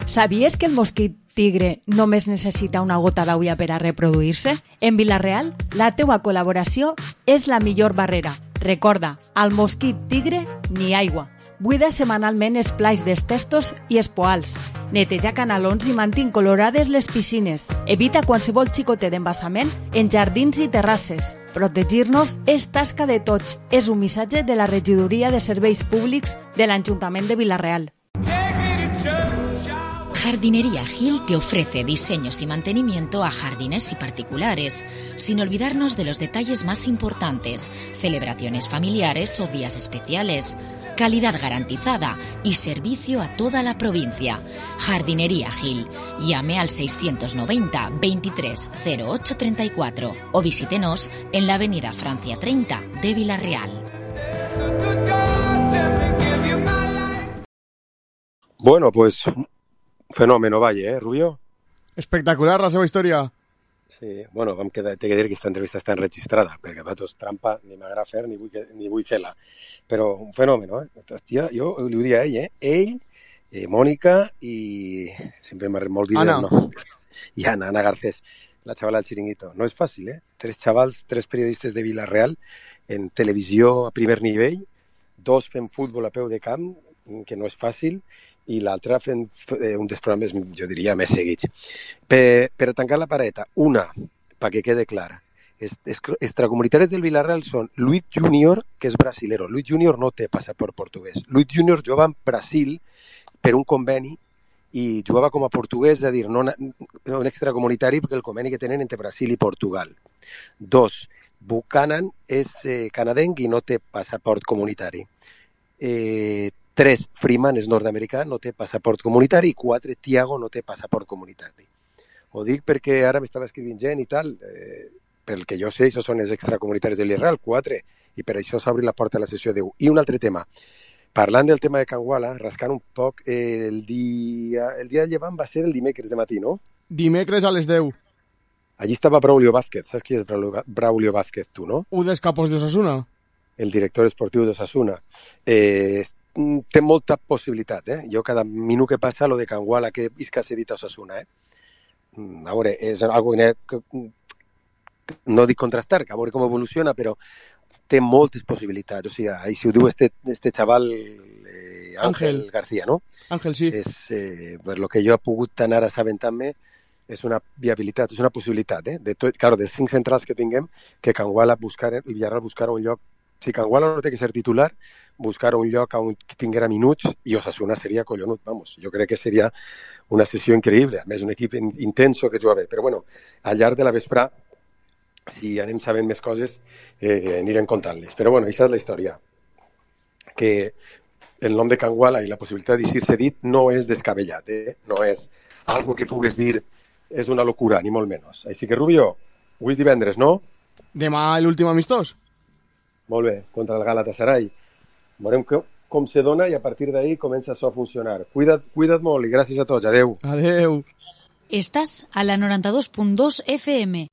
[SPEAKER 10] Sabies que el mosquit tigre només necessita una gota d'aigua per a reproduir-se? En Vila-real, la teua col·laboració és la millor barrera. Recorda, al mosquit tigre ni aigua. Buida setmanalment els plats dels testos i els poals. Neteja canalons i mantén colorades les piscines. Evita qualsevol xicotet d'embassament en jardins i terrasses. Protegir-nos és tasca de tots. És un missatge de la Regidoria de Serveis Públics de l'Ajuntament de Vila-real.
[SPEAKER 1] Jardinería Gil te ofrece diseños y mantenimiento a jardines y particulares, sin olvidarnos de los detalles más importantes, celebraciones familiares o días especiales, calidad garantizada y servicio a toda la provincia. Jardinería Gil. Llame al 690 23 08 34 o visítenos en la avenida Francia 30 de Vila-real.
[SPEAKER 14] Bueno, pues... fenómeno, Valle, Rubio?
[SPEAKER 5] Espectacular la seva història.
[SPEAKER 14] Sí, bueno, t'he de dir que aquesta entrevista està enregistrada, perquè a tots trampa ni m'agrada fer ni vull fer-la. Però un fenómeno, Hòstia, jo li ho dic a ell, Ell, Mònica i... sempre m'ha molt vídeo, no? I Ana Garcés, la xavala del Chiringuito. No és fàcil, 3 xavals, 3 periodistes de Vila-real en televisió a primer nivell, 2 fent futbol a peu de camp, que no és fàcil, i l'altra fent un dels programes, jo diria, més seguits. Per tancar la pareta, una, perquè quede clara. Extracomunitaris del Villarreal són Luis Junior, que és brasilero. Luis Junior no té passaport portuguès. Luis Junior jugava en Brasil per un conveni i jugava com a portuguès, és a dir, no un extracomunitari, perquè el conveni que tenen entre Brasil i Portugal. 2. Buchanan és canadenc i no té passaport comunitari. 3. Freeman és nord-americà, no té passaport comunitari. I 4. Thiago no té passaport comunitari. Ho dic perquè ara m'estava escrivint gent i tal, pel que jo sé, això són els extracomunitaris de l'Israel, 4, i per això s'obri la porta a la sessió 10. I un altre tema. Parlant del tema de Can Guala, rascant un poc, el dia de llevant va ser el dimecres de matí, no?
[SPEAKER 5] Dimecres a les 10.
[SPEAKER 14] Allí estava Braulio Vázquez. Saps qui és Braulio Vázquez, tu, no?
[SPEAKER 5] Un dels capos d'Osasuna.
[SPEAKER 14] El director esportiu d'Osasuna. Té molta possibilitat, Jo cada minut que passa lo de Can Guala que isca cedit a Osasuna, A veure, és algo que no dic contrastar, que a veure com evoluciona, però té moltes possibilitats. O sigui, si ho diu este xaval Ángel García, no?
[SPEAKER 5] Ángel, sí.
[SPEAKER 14] Per lo que jo he pogut anar assabentant-me, és una viabilitat, és una possibilitat. Claro, dels 5 centrals que tinguem, que Can Guala i Villarreal buscara un lloc. Si Can Guala no té que ser titular, buscar un lloc on tinguera minuts i Osasuna seria collonut, vamos. Jo crec que seria una sessió increïble. A més, un equip intenso que juga bé. Però bueno, al llarg de la vesprà, si anem sabent més coses, anirem contant-les. Però bueno, aquesta és la història. Que el nom de Can Guala i la possibilitat d'eixir-se dit no és descabellat, no és algo que pugues dir és una locura, ni molt menys. Així que, Rubio, avui és divendres, no?
[SPEAKER 5] Demà l'últim amistós.
[SPEAKER 14] Molt bé, contra el Galatasaray. Veurem com se dona i a partir d'ahí comença això a funcionar. Cuida't molt i gràcies a tots. Adeu.
[SPEAKER 5] Adeu.
[SPEAKER 1] Estàs a la 92.2 FM.